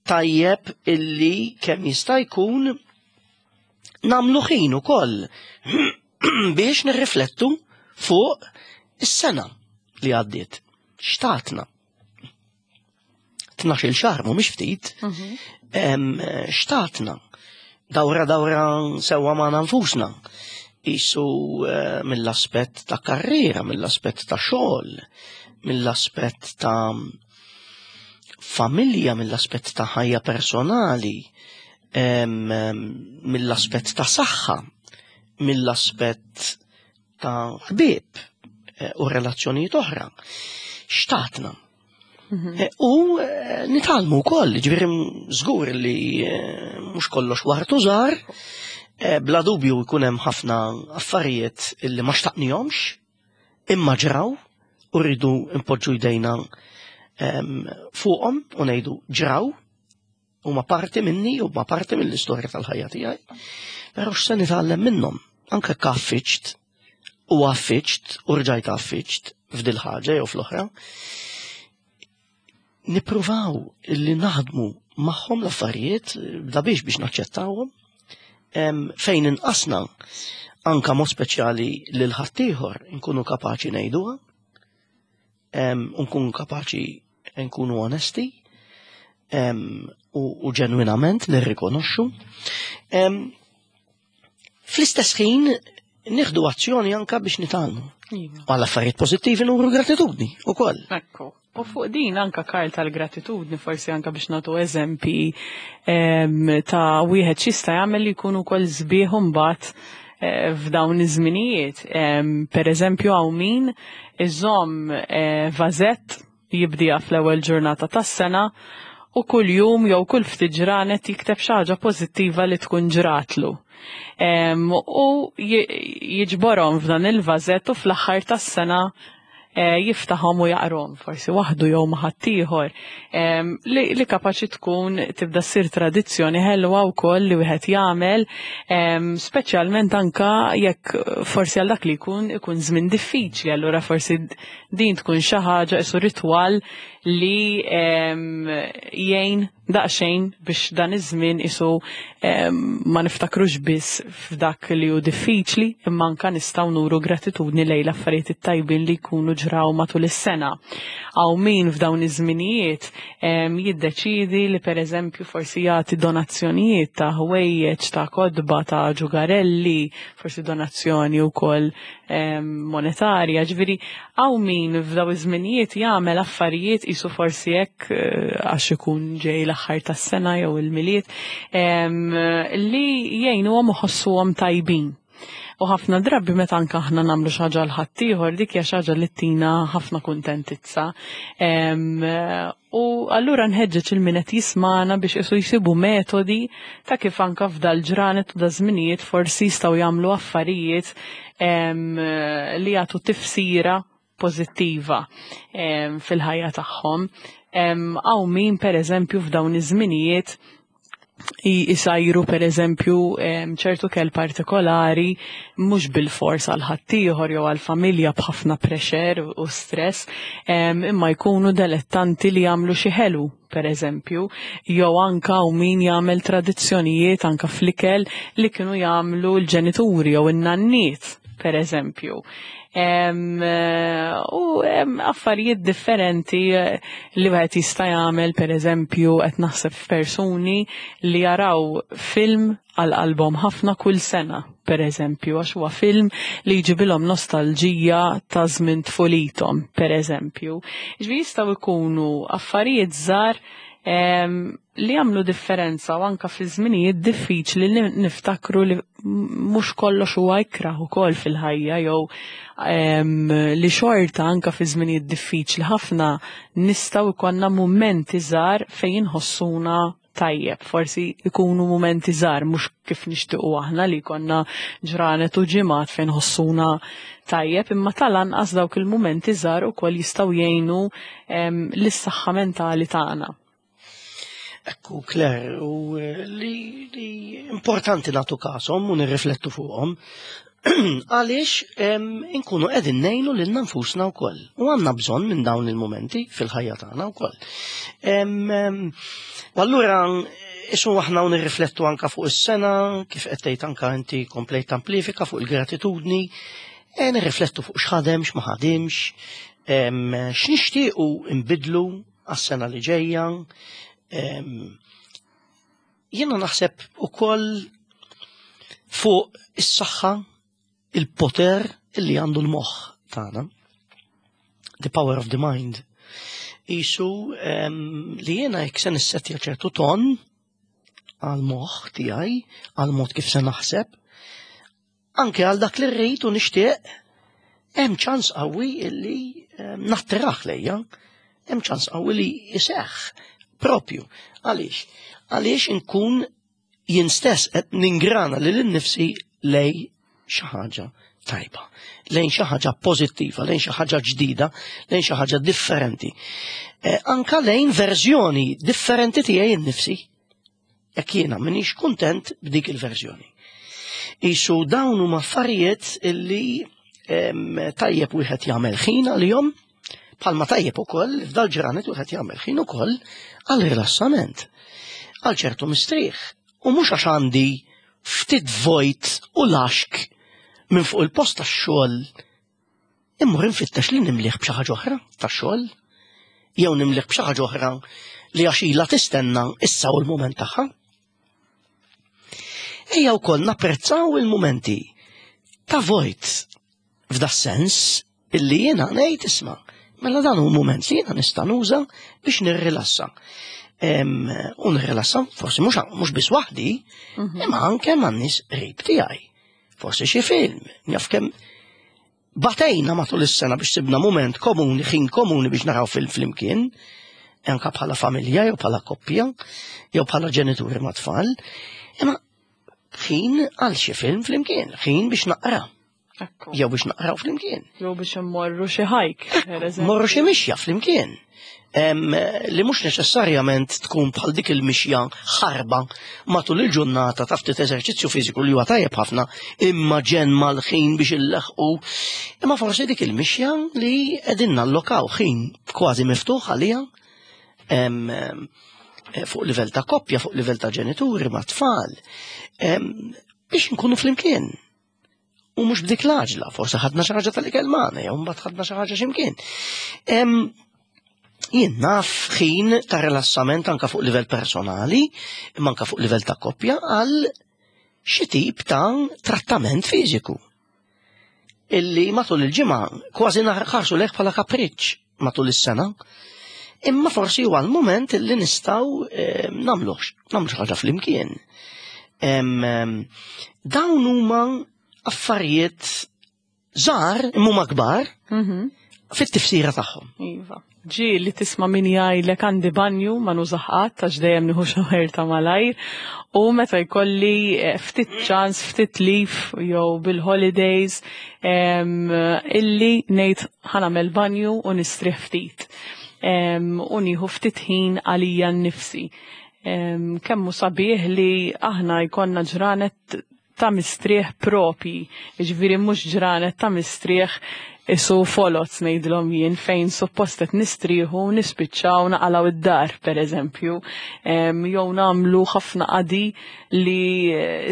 tajjeb illi kemm jista' jkun nagħmlu ħin ukoll biex nirriflettu fuq is-sena li għaddiet. X'tatna? Tnax-il xahar mhumiex ftit. Em, X'tatna? Dawra dawra sewwa ma' nfusna. Isu eh, mill-aspett ta' karriera, mill-aspett ta' xogħol, mill-aspett ta' familja, mill-aspett ta' ħajja personali, em, em, mill-aspett ta' saħħa, mill-aspett ta' ħbieb eh, u relazzjonijiet oħra. X'tatna? Eh, U eh, nitgħallmu wkoll, ġifieri żgur li eh, mhux kollox ward u żahar, eh, bla dubju jkun hemm ħafna affarijiet illi ma xtaqnihomx, imma ġraw u rridu npoġġu jdejna em, fuqhom u ngħidu ġraw huma parti minni u ma parti mill-istorja tal-ħajja tiegħi. Però x'se nitgħallem minnhom? Anke kaffiċt u għaffiċt u rġajt għaffiċt f'dil ħaġa jew fl-oħra. Nippruvaw illi naħdmu magħhom l-affarijiet bda biex biex naċċettawhom em, fejn inqasna anka mod speċjali lil ħaddieħor nkunu kapaċi ngħiduha, em, u nkunu kapaċi nkunu onesti em, u, u ġenwinament nirrikonoxxu. Em, Fl-istess ħin nieħdu azzjoni anka biex nitgħallmu. Iva. Għal affarijiet pożittivi nuru gratitudni ukoll. Ekku. U fuq din anka Karl tal-gratitudni forsi anka biex nagħtu eżempi em, ta' wieħed x'jista' jagħmel li jkunu wkoll sbieħ mbagħad eh, f'dawn iż-żminijiet. Em, Per eżempju hawn min iżomm eh, vażett jibdija fl-ewwel ġurnata tas-sena u kull jum jew kull ftit ġranet jikteb xi ħaġa pożittiva li tkun ġratlu. Em, u ji- jiġborhom f'dan il-vażett u fl-aħħar tas-sena eh, jiftaħhom u jaqrom, forsi waħdu jew ma' ħaddieħor, em, li, li kapaċi tkun tibda ssir tradizzjoni ħelwa wkoll li wieħed jagħmel, em, speċjalment anka jekk forsi għal dak li jkun ikun żmien diffiċli, allura forsi din tkun xi ħaġa isu ritwal li em, jgħin daqsxejn biex dan iż-żmien isu em, ma niftakrux biss f'dak li hu diffiċli, imma anka nistgħu nuru gratitudni lejn l-affarijiet it-tajbin li jkunu ġraw matul is-sena. Hawn min f'dawn iż-żminijiet em, jiddeċidi li pereżempju forsi jagħti donazzjonijiet ta' ħwejjeġ, ta' kotba, ta' ġugarelli, forsi donazzjoni wkoll em, monetarja, ġifieri hawn min f'daw iż-żminijiet jagħmel affarijiet isu forsi hekk eh, għax ikun ġej l-aħħar tas-sena jew il-Milied em, li jgħinuhom iħossuhom tajbin. U ħafna drabi meta anka aħna nagħmlu xi ħaġa l ħaddieħor dik hija xi ħaġa li tina ħafna kuntentizza. Em, U allura nħeġġeġ il min qed jismana biex isu jsibu metodi ta' kif anka f'dal ġranet u da żminijiet forsi jistgħu jagħmlu affarijiet em, li jagħtu tifsira pożittiva em, fil-ħajja tagħhom. Em, Hawn min pereżempju f'dawn iż-żminijiet jisajru per eżempju em, ċertu ikel partikolari mhux bil-fors għal ħaddieħor jew għal familja b'ħafna pressure u stress, em, imma jkunu delettanti li jagħmlu xi ħelu per eżempju, jew anka u min jagħmel tradizzjonijiet anka fl-ikel li kienu jagħmlu l-ġenituri jew in-nanniet per eżempju. Em, eh, u em, affarijiet differenti eh, li wieħed jista' jagħmel per eżempju qed naħseb f'persuni li jaraw film għal qalbhom ħafna kull sena, per eżempju, għax huwa film li jġibilhom nostalġija ta' żmien tfulithom, per eżempju. Ġifieri jistgħu jkunu affarijiet żgħar em, li jagħmlu differenza u anka fi żminijiet diffiċli li niftakru li mhux kollox huwa ikrah ukoll fil-ħajja jew em, li xorta anka fi żminijiet diffiċli ħafna nistgħu jkollna mumenti żgħar fejn inħossuna tajjeb, forsi ikunu mumenti żgħar mhux kif nixtiequ aħna li jkollna ġranet u ġimgħat fejn ħossuna tajjeb, imma tal-anqas dawk il-mumenti żgħar ukoll jistgħu jgħinu em, lis-saħħa mentali tagħna. Ekku, Claire, u eh, li, li importanti nagħtu kashom u nirriflettu fuqhom. Għaliex inkunu qegħdin ngħinu lilna nfusna wkoll. U għandna bżonn minn dawn il-momenti fil-ħajja tagħna wkoll. U allura isu aħna u nirriflettu anka fuq is-sena, kif qed tgħid anka inti komplejt tamplifika fuq il-gratitudni, e nirriflettu fuq x'ħadem, x'ma ħadimx, x'nixtiequ nbidlu għas-sena li ġejja. Jiena naħseb ukoll fuq is-saħħa, il-poter illi għandu l-moħħ tagħna. The power of the mind. Isu li jiena jekk se nissettja ċertu ton għal-moħħ tiegħi, għal-mod kif se naħseb, anke għal dak li rrid u nixtieq, hemm ċans qawwi illi nattirah lejja, hemm ċans qawwi li jseħħ propju. Għaliex? Għaliex inkun jien stess qed ningrana lil innifsi lejn xi ħaġa tajba, lejn xi ħaġa pożittiva, lejn xi ħaġa ġdida, lejn xi ħaġa differenti. Eh, anka lejn verżjoni differenti tiegħi innifsi. Jekk jiena m'iniex kuntent b'dik il-verżjoni. Isu dawn huma affarijiet illi tajjeb wieħed jagħmel ħin għalihom, bħalma tajjeb ukoll f'dal ġranet wieħed jagħmel ħin ukoll għal rilassament, għal ċertu mistrieħ. U mhux għax għandi ftit vojt u laxk minn fuq il-post tax-xogħol immur infittex li nimliħ b'xi ħaġa oħra tax-xogħol jew nimliħ b'xi ħaġa oħra li għax ilha tistenna issa u l-mument tagħha. Ejja wkoll napprezzaw il-mumenti ta' vojt f'da sens illi jiena ngħid isma' mela dan hu mument li jiena nista' nuża biex nirrilassa. U nirrilassa forsi mhux mhux biss waħdi, mhm. imma anke man-nies qrib tiegħi. Forsi xi film, njaf kemm batejna matul is-sena biex sibna mument komuni, ħin komuni biex naraw film flimkien, anka bħala familja jew bħala koppja, jew bħala ġenituri ma' tfal, imma ħin għal xi film flimkien, ħin biex naqra. Jew biex naqraw flimkien. Jew biex immorru xi hike, Morru xi mixja flimkien. Li mhux neċessarjament tkun bħal dik il-mixja ħarba matul il-ġurnata ta' ftit eżerċizzju fiżiku li huwa tajjeb ħafna imma ġen mal-ħin biex illeħqu. Imma forsi dik il-mixja li qegħdin nallokaw ħin kważi miftuħ għalija fuq livell ta' koppja, fuq livell ta' ġenituri ma' tfal, biex nkunu flimkien. U mhux b'dik l-għaġla, forsi ħadna xi ħaġa tal-ikel magħna, jew mbagħad ħadna xi ħaġa x'imkien. Jien naf ħin ta' rilassament anka fuq livell personali, imma anka fuq livell ta' koppja għal xi tip ta' trattament fiżiku. Illi matul il-ġimgħa kważi naħarsu lejh bħala kapriċċ matul is-sena. Imma forsi huwa l-moment illi nistgħu nagħmlu nagħmlu xi ħaġa flimkien. Dawn huma affarijiet żgħar imma huma kbar mhm. fit-tifsira tagħhom. Iva. Ġi li tisma' min jgħidlek għandi banju ma nużah qatt għax dejjem nieħu shower ta' malajr u meta jkolli eh, ftit ċans, ftit leave jew bil-holidays illi ngħid ħa nagħmel banju u nistrieħ ftit. U nieħu ftit ħin għalija nnifsi. Kemm hu sabiħ li aħna jkollna ġranet ta' mistrieħ propi, ġifieri mhux ġranet ta' mistrieħ isu folots ngħidilhom jien fejn suppost qed nistrieħu nispiċċaw naqalgħu id-dar pereżempju, jew nagħmlu ħafna qadi li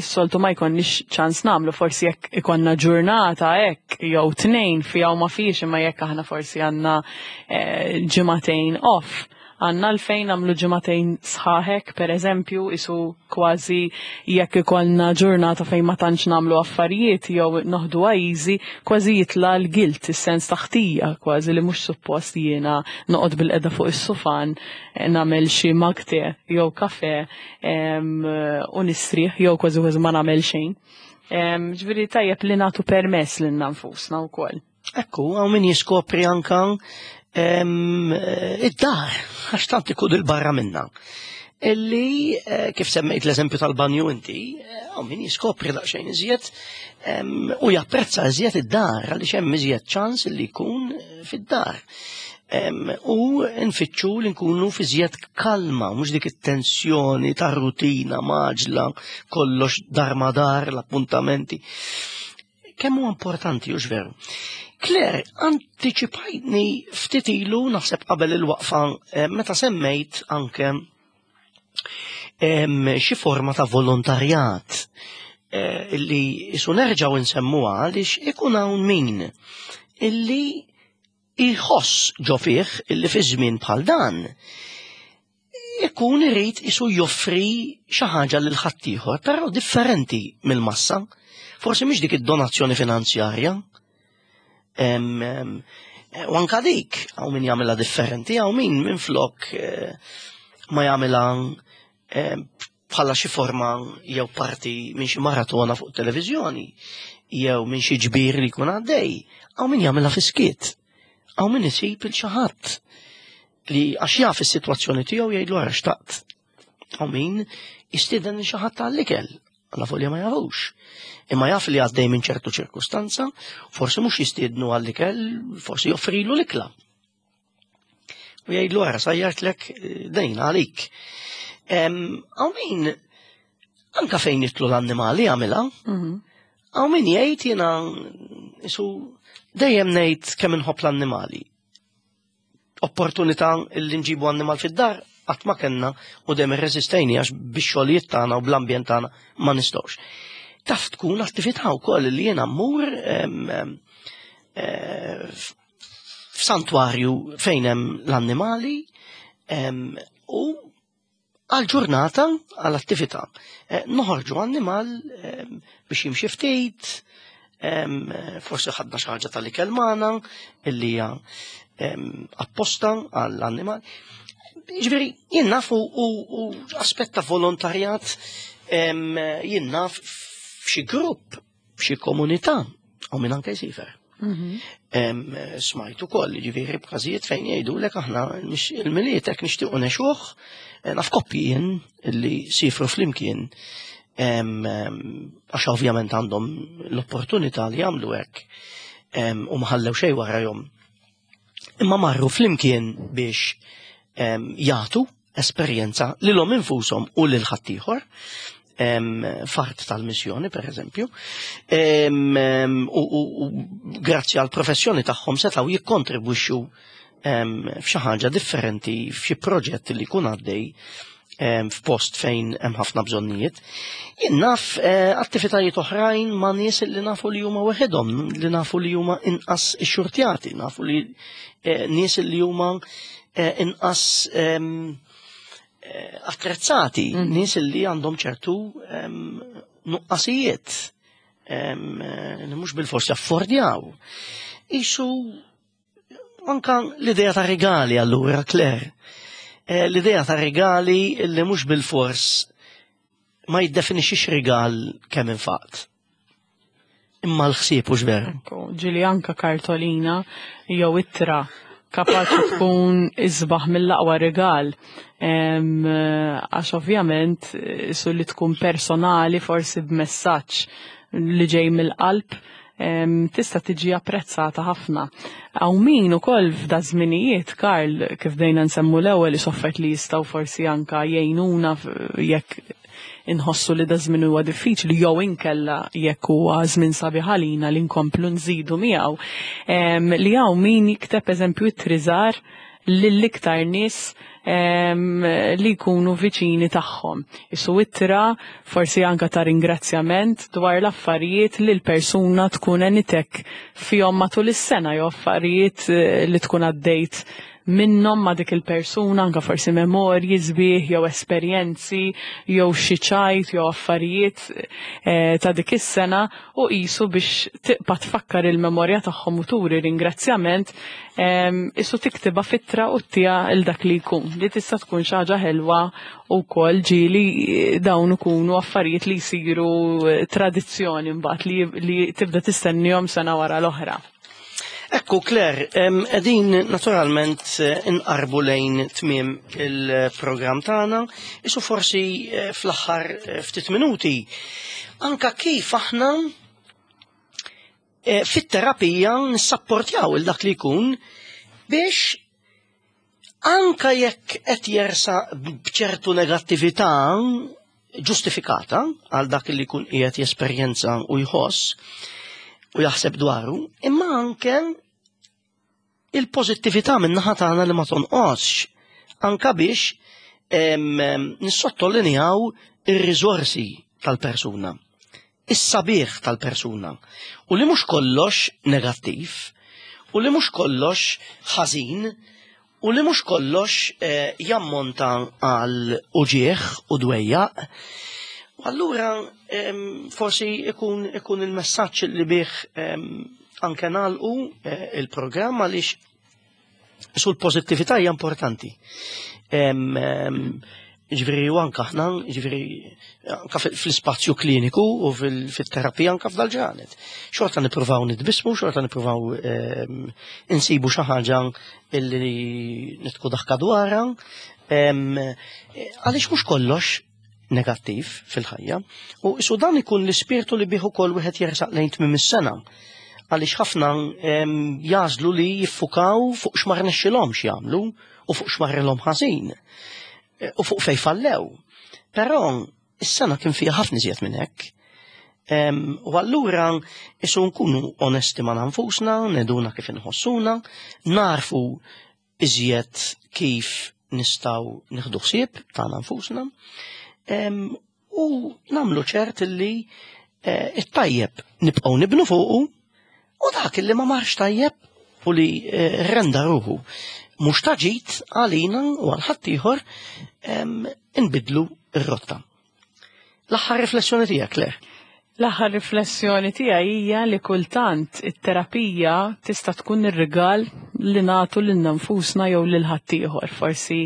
s-soltu ma jkollniex ċans nagħmlu, forsi jekk ikollna ġurnata hekk jew tnejn fiha u ma fiex, imma jekk aħna forsi għandna eh, ġimagħtejn off, għandna għalfejn nagħmlu ġimagħtejn sħaħek, per eżempju, isu kważi jekk ikollna ġurnata fejn ma tantx nagħmlu affarijiet jew noħdu easy, kważi jitla l-guilt, is-sens ta' ħtija, kważi li mhux suppost jiena noqgħod bil-qeda fuq is-sufan nagħmel xi mug tea jew kafe u nistrieħ jew kważi kważi ma nagħmel xejn. Ġifieri tajjeb li nagħtu permess lilna nfusna wkoll. Ekku, hawn min jiskopri anka id-dar, għax tant ikun il-barra minna. Illi, eh, kif semmejt l-eżempju tal-banju inti, hawn min jiskopri daqsxejn iżjed u japprezza iżjed id-dar, għaliex hemm iżjed ċans li jkun eh, fid-dar. U nfittxu li nkunu fi żjed kalma, mhux dik it-tensjoni ta' rutina maġla, kollox dar ma dar, l-appuntamenti. Kemm huwa importanti, hux veru? Claire, antiċipajtni ftit ilu, naħseb qabel il-waqfa, meta semmejt anke xi forma ta' volontarjat illi isu nerġgħu nsemmuha għaliex ikun hawn min illi jħoss ġo fih illi fi żmien bħal dan ikun irid isu joffri xi ħaġa lil ħaddieħor, però differenti mill-massa. Forsi mhix dik id-donazzjoni finanzjarja. U anka dik, hawn min jagħmilha differenti, hawn min minflok ma jagħmilha bħala xi forma jew parti minn xi maratona fuq televiżjoni, jew minn xi ġbir li jkun għaddej, hawn min jagħmilha fi-skiet. Hawn min isib il xi ħadd li għax jaf is-sitwazzjoni tiegħu jgħidlu ara xtaqt. Hawn min jistieden lil xi ħadd għall-ikel, għalla fuq li ma jafux. Imma jaf li għaddej minn ċertu ċirkustanza, forsi mhux jistiednu għall-ikel, forsi joffrilu l-ikla. U jgħidlu ara sajjartlek dejn għalik. Hawn min anka fejn jitlu l-annimali jagħmilha. Hawn min jgħid jiena isu dejjem ngħid kemm inħobb l-annimali. Opportunità li nġibu annimal fid-dar qatt ma kellna u dejjem irreżistejni għax bix-xogħlijiet tagħna u bl-ambjent tagħna ma nistgħux. Taf tkun attività wkoll li jiena mmur f'santwarju fejn hemm l-annimali u għal ġurnata għal attività. Noħorġu annimal biex jimxi ftit, forsi ħadna xi ħaġa tal-ikel magħna illi hija apposta għall-annimal. Jiġifieri jien naf u aspett ta' volontarjat, jien naf f'xi grupp, f'xi komunità, u minn anke jsifer. Smajt ukoll, jiġifieri b'każijiet fejn jgħidulek aħna il-Milied hekk nixtiequ nexuh, naf koppji jien li sifru flimkien, għax ovvjament għandhom l-opportunità li jagħmlu hekk u ma ħallew xejn warajhom. Imma marru flimkien biex jagħtu esperjenza lilhom infushom u lil ħaddieħor, fart tal-missjoni per eżempju, u grazzi għal professjoni tagħhom setgħu jikkontribwixxu f'xi ħaġa differenti f'xi proġett li jkun għaddej f'post fejn hemm ħafna bżonnijiet. Jien naf attivitajiet oħrajn ma' nies li nafu li huma weħedhom, li nafu li huma inqas ixxurtjati, nafu li nies li huma inqas attrezzati, nies li għandhom ċertu nuqqasijiet li mhux bilfors jaffordjaw. Isu anka l-idea ta' regali allura, Claire. L-idea ta' regali li mhux bilfors ma jiddefinixxix rigal kemm infaqt. Imma l-ħsieb hux veru. Ġieli anka kartolina jew ittra kapaċi tkun isbaħ mill-aqwa rigal. Għax ovvjament su li tkun personali forsi b'messaġġ li ġej mill-qalb tista' tiġi apprezzata ħafna. Hawn min ukoll f'da żminijiet, Karl, kif bdejna nsemmu l-ewwel soffert li jistgħu forsi anka jgħinuna jekk inħossu li da żmien huwa diffiċli jew inkella jekk huwa żmien sabiħ għalina li nkomplu nżidu miegħu. Li hawn min jikteb eżempju it-triżar lill-iktar nies li jkunu viċini tagħhom. Isu ittra forsi anka ta' ringrazzjament dwar l-affarijiet li l-persuna tkun enitek fihom matul is-sena jew affarijiet li tkun għaddejt minnhom ma' dik il-persuna, anka forsi memorji sbieħ jew esperjenzi jew xi ċajt jew affarijiet ta' dik is-sena u qisu biex tibqa' tfakkar il-memorja tagħhom u turi ringrazzjament, isu tiktibha fittra u ttiha il dak li jkun. Li tista' tkun xi ħaġa ħelwa wkoll ġieli dawn ikunu affarijiet li jsiru tradizzjoni mbagħad li, li tibda tistennihom sena wara l-oħra. Ekku, Claire, qegħdin naturalment inqarbu lejn tmiem il-programm tagħna, isu forsi fl-aħħar ftit minuti, anka kif aħna fit-terapija nissapportjaw il dak li jkun biex Anka jekk qed jersaq b'ċertu negattività ġustifikata għal dak li jkun qiegħed jesperjenza u jħoss u jaħseb dwaru, imma anke il-pożittività min-naħa tagħna li ma tonqosx, anka biex nissottolinjaw ir-riżorsi tal-persuna, is-sabiħ tal-persuna, u li mhux kollox negattiv, u li mhux kollox ħażin, u li mhux kollox eh, jammonta għal uġieħ u dwejjaq. U allura forsi ikun, ikun il-messaġġ li bih anke nagħlqu eh, il-programm, għaliex sul pożittività hija importanti. Ġifieri u anke aħna, ġifieri anke fl-ispazju kliniku u fil-terapija anke f'dal-ġranet. Xorta nippruvaw nitbismu, xorta nippruvaw insibu xi ħaġa illi nidħku daħka dwarha. Għaliex mhux kollox negattiv fil-ħajja. U isu dan ikun l-ispirtu li bih ukoll wieħed jersaq lejn tmiem is-sena. Għaliex ħafna jażlu li jiffukaw fuq x'ma rnexxilhomx jagħmlu u fuq x'marrilhom ħażin u fuq fej fallew. Però is-sena kien fiha ħafna iżjed minn hekk. U allura isu nkunu onesti ma' nfusna, neduna kif inħossuna, narfu iżjed kif nistgħu nieħdu ħsieb tagħna nfusna, u nagħmlu ċert li it-tajjeb nibqgħu nibnu fuqu, u dak li ma marx tajjeb u li renda ruħu mhux taġit għalina u għal ħaddieħor inbidlu r-rotta. L-aħħar riflessjoni tiegħek, Claire? L-aħħar riflessjoni tiegħi hija li kultant it-terapija tista' tkun ir-rigal li nagħtu lil nfusna jew lil ħaddieħor. Forsi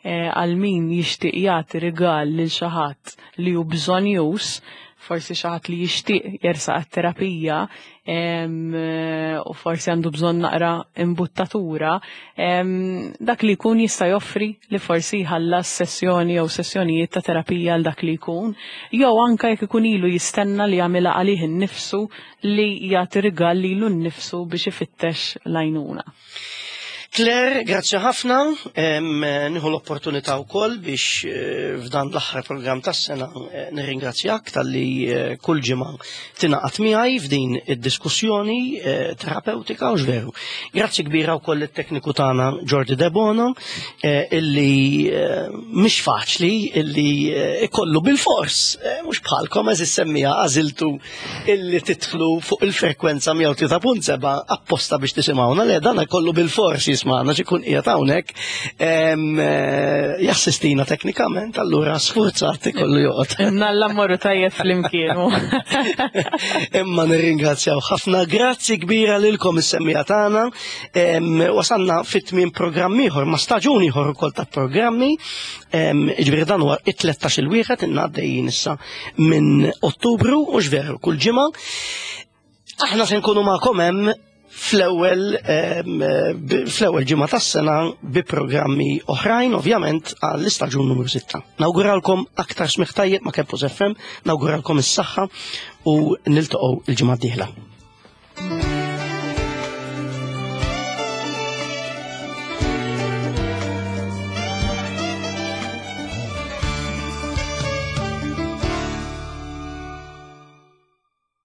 għal min jixtieq jagħti rigal lil xi ħadd li hu bżonjus, forsi xi ħadd li jixtieq jersaq għat-terapija u forsi għandu bżonn naqra imbuttatura, dak li jkun jista' joffri li forsi jħallas sessjoni jew sessjonijiet ta' terapija għal dak li jkun, jew anke jekk ikun ilu jistenna li jagħmilha għalih innifsu li jagħti rigal lilu nnifsu biex ifittex l-għajnuna. Claire, grazzi ħafna. Nieħu l-opportunità wkoll biex f'dan l-aħħar programm tas-sena nirringrazzjak talli kull ġimgħa tingħaqad miegħi f'din id-diskussjoni terapeutika u veru. Grazzi kbira wkoll it-tekniku tagħna Jordi Debono, illi mhix faċli illi ikollu bil-fors, mhux bħalkom eżis semmija għażiltu illi tidħlu fuq il-frekwenza mija u tlieta punt seba' apposta biex tisimgħuna, le dan ikollu bil-fors jismagħna x'ikun qiegħed hawnhekk jassistina teknikament, allura sfurzat ikollu joqgħod. Nalla mmorru tajjeb flimkien. Imma nirringrazzjaw ħafna, grazzi kbira lilkom is-semmija tagħna. Wasalna fit-tmiem programm ieħor, ma' staġun ieħor ukoll ta' programmi. Ġifieri dan huwa it-tlettax il-wieħed inna għaddejjin issa minn Ottubru u x'veru kull ġimgħa. Aħna se nkunu magħkom hemm fl-ewwel fl-ewwel ġimgħa tas-sena bi programmi oħrajn, ovvjament għall-istaġun numru sitta. Nawguralkom aktar smigħ tajjeb ma' Campus F M, nawguralkom is-saħħa u niltaqgħu il-ġimgħa d-dieħla.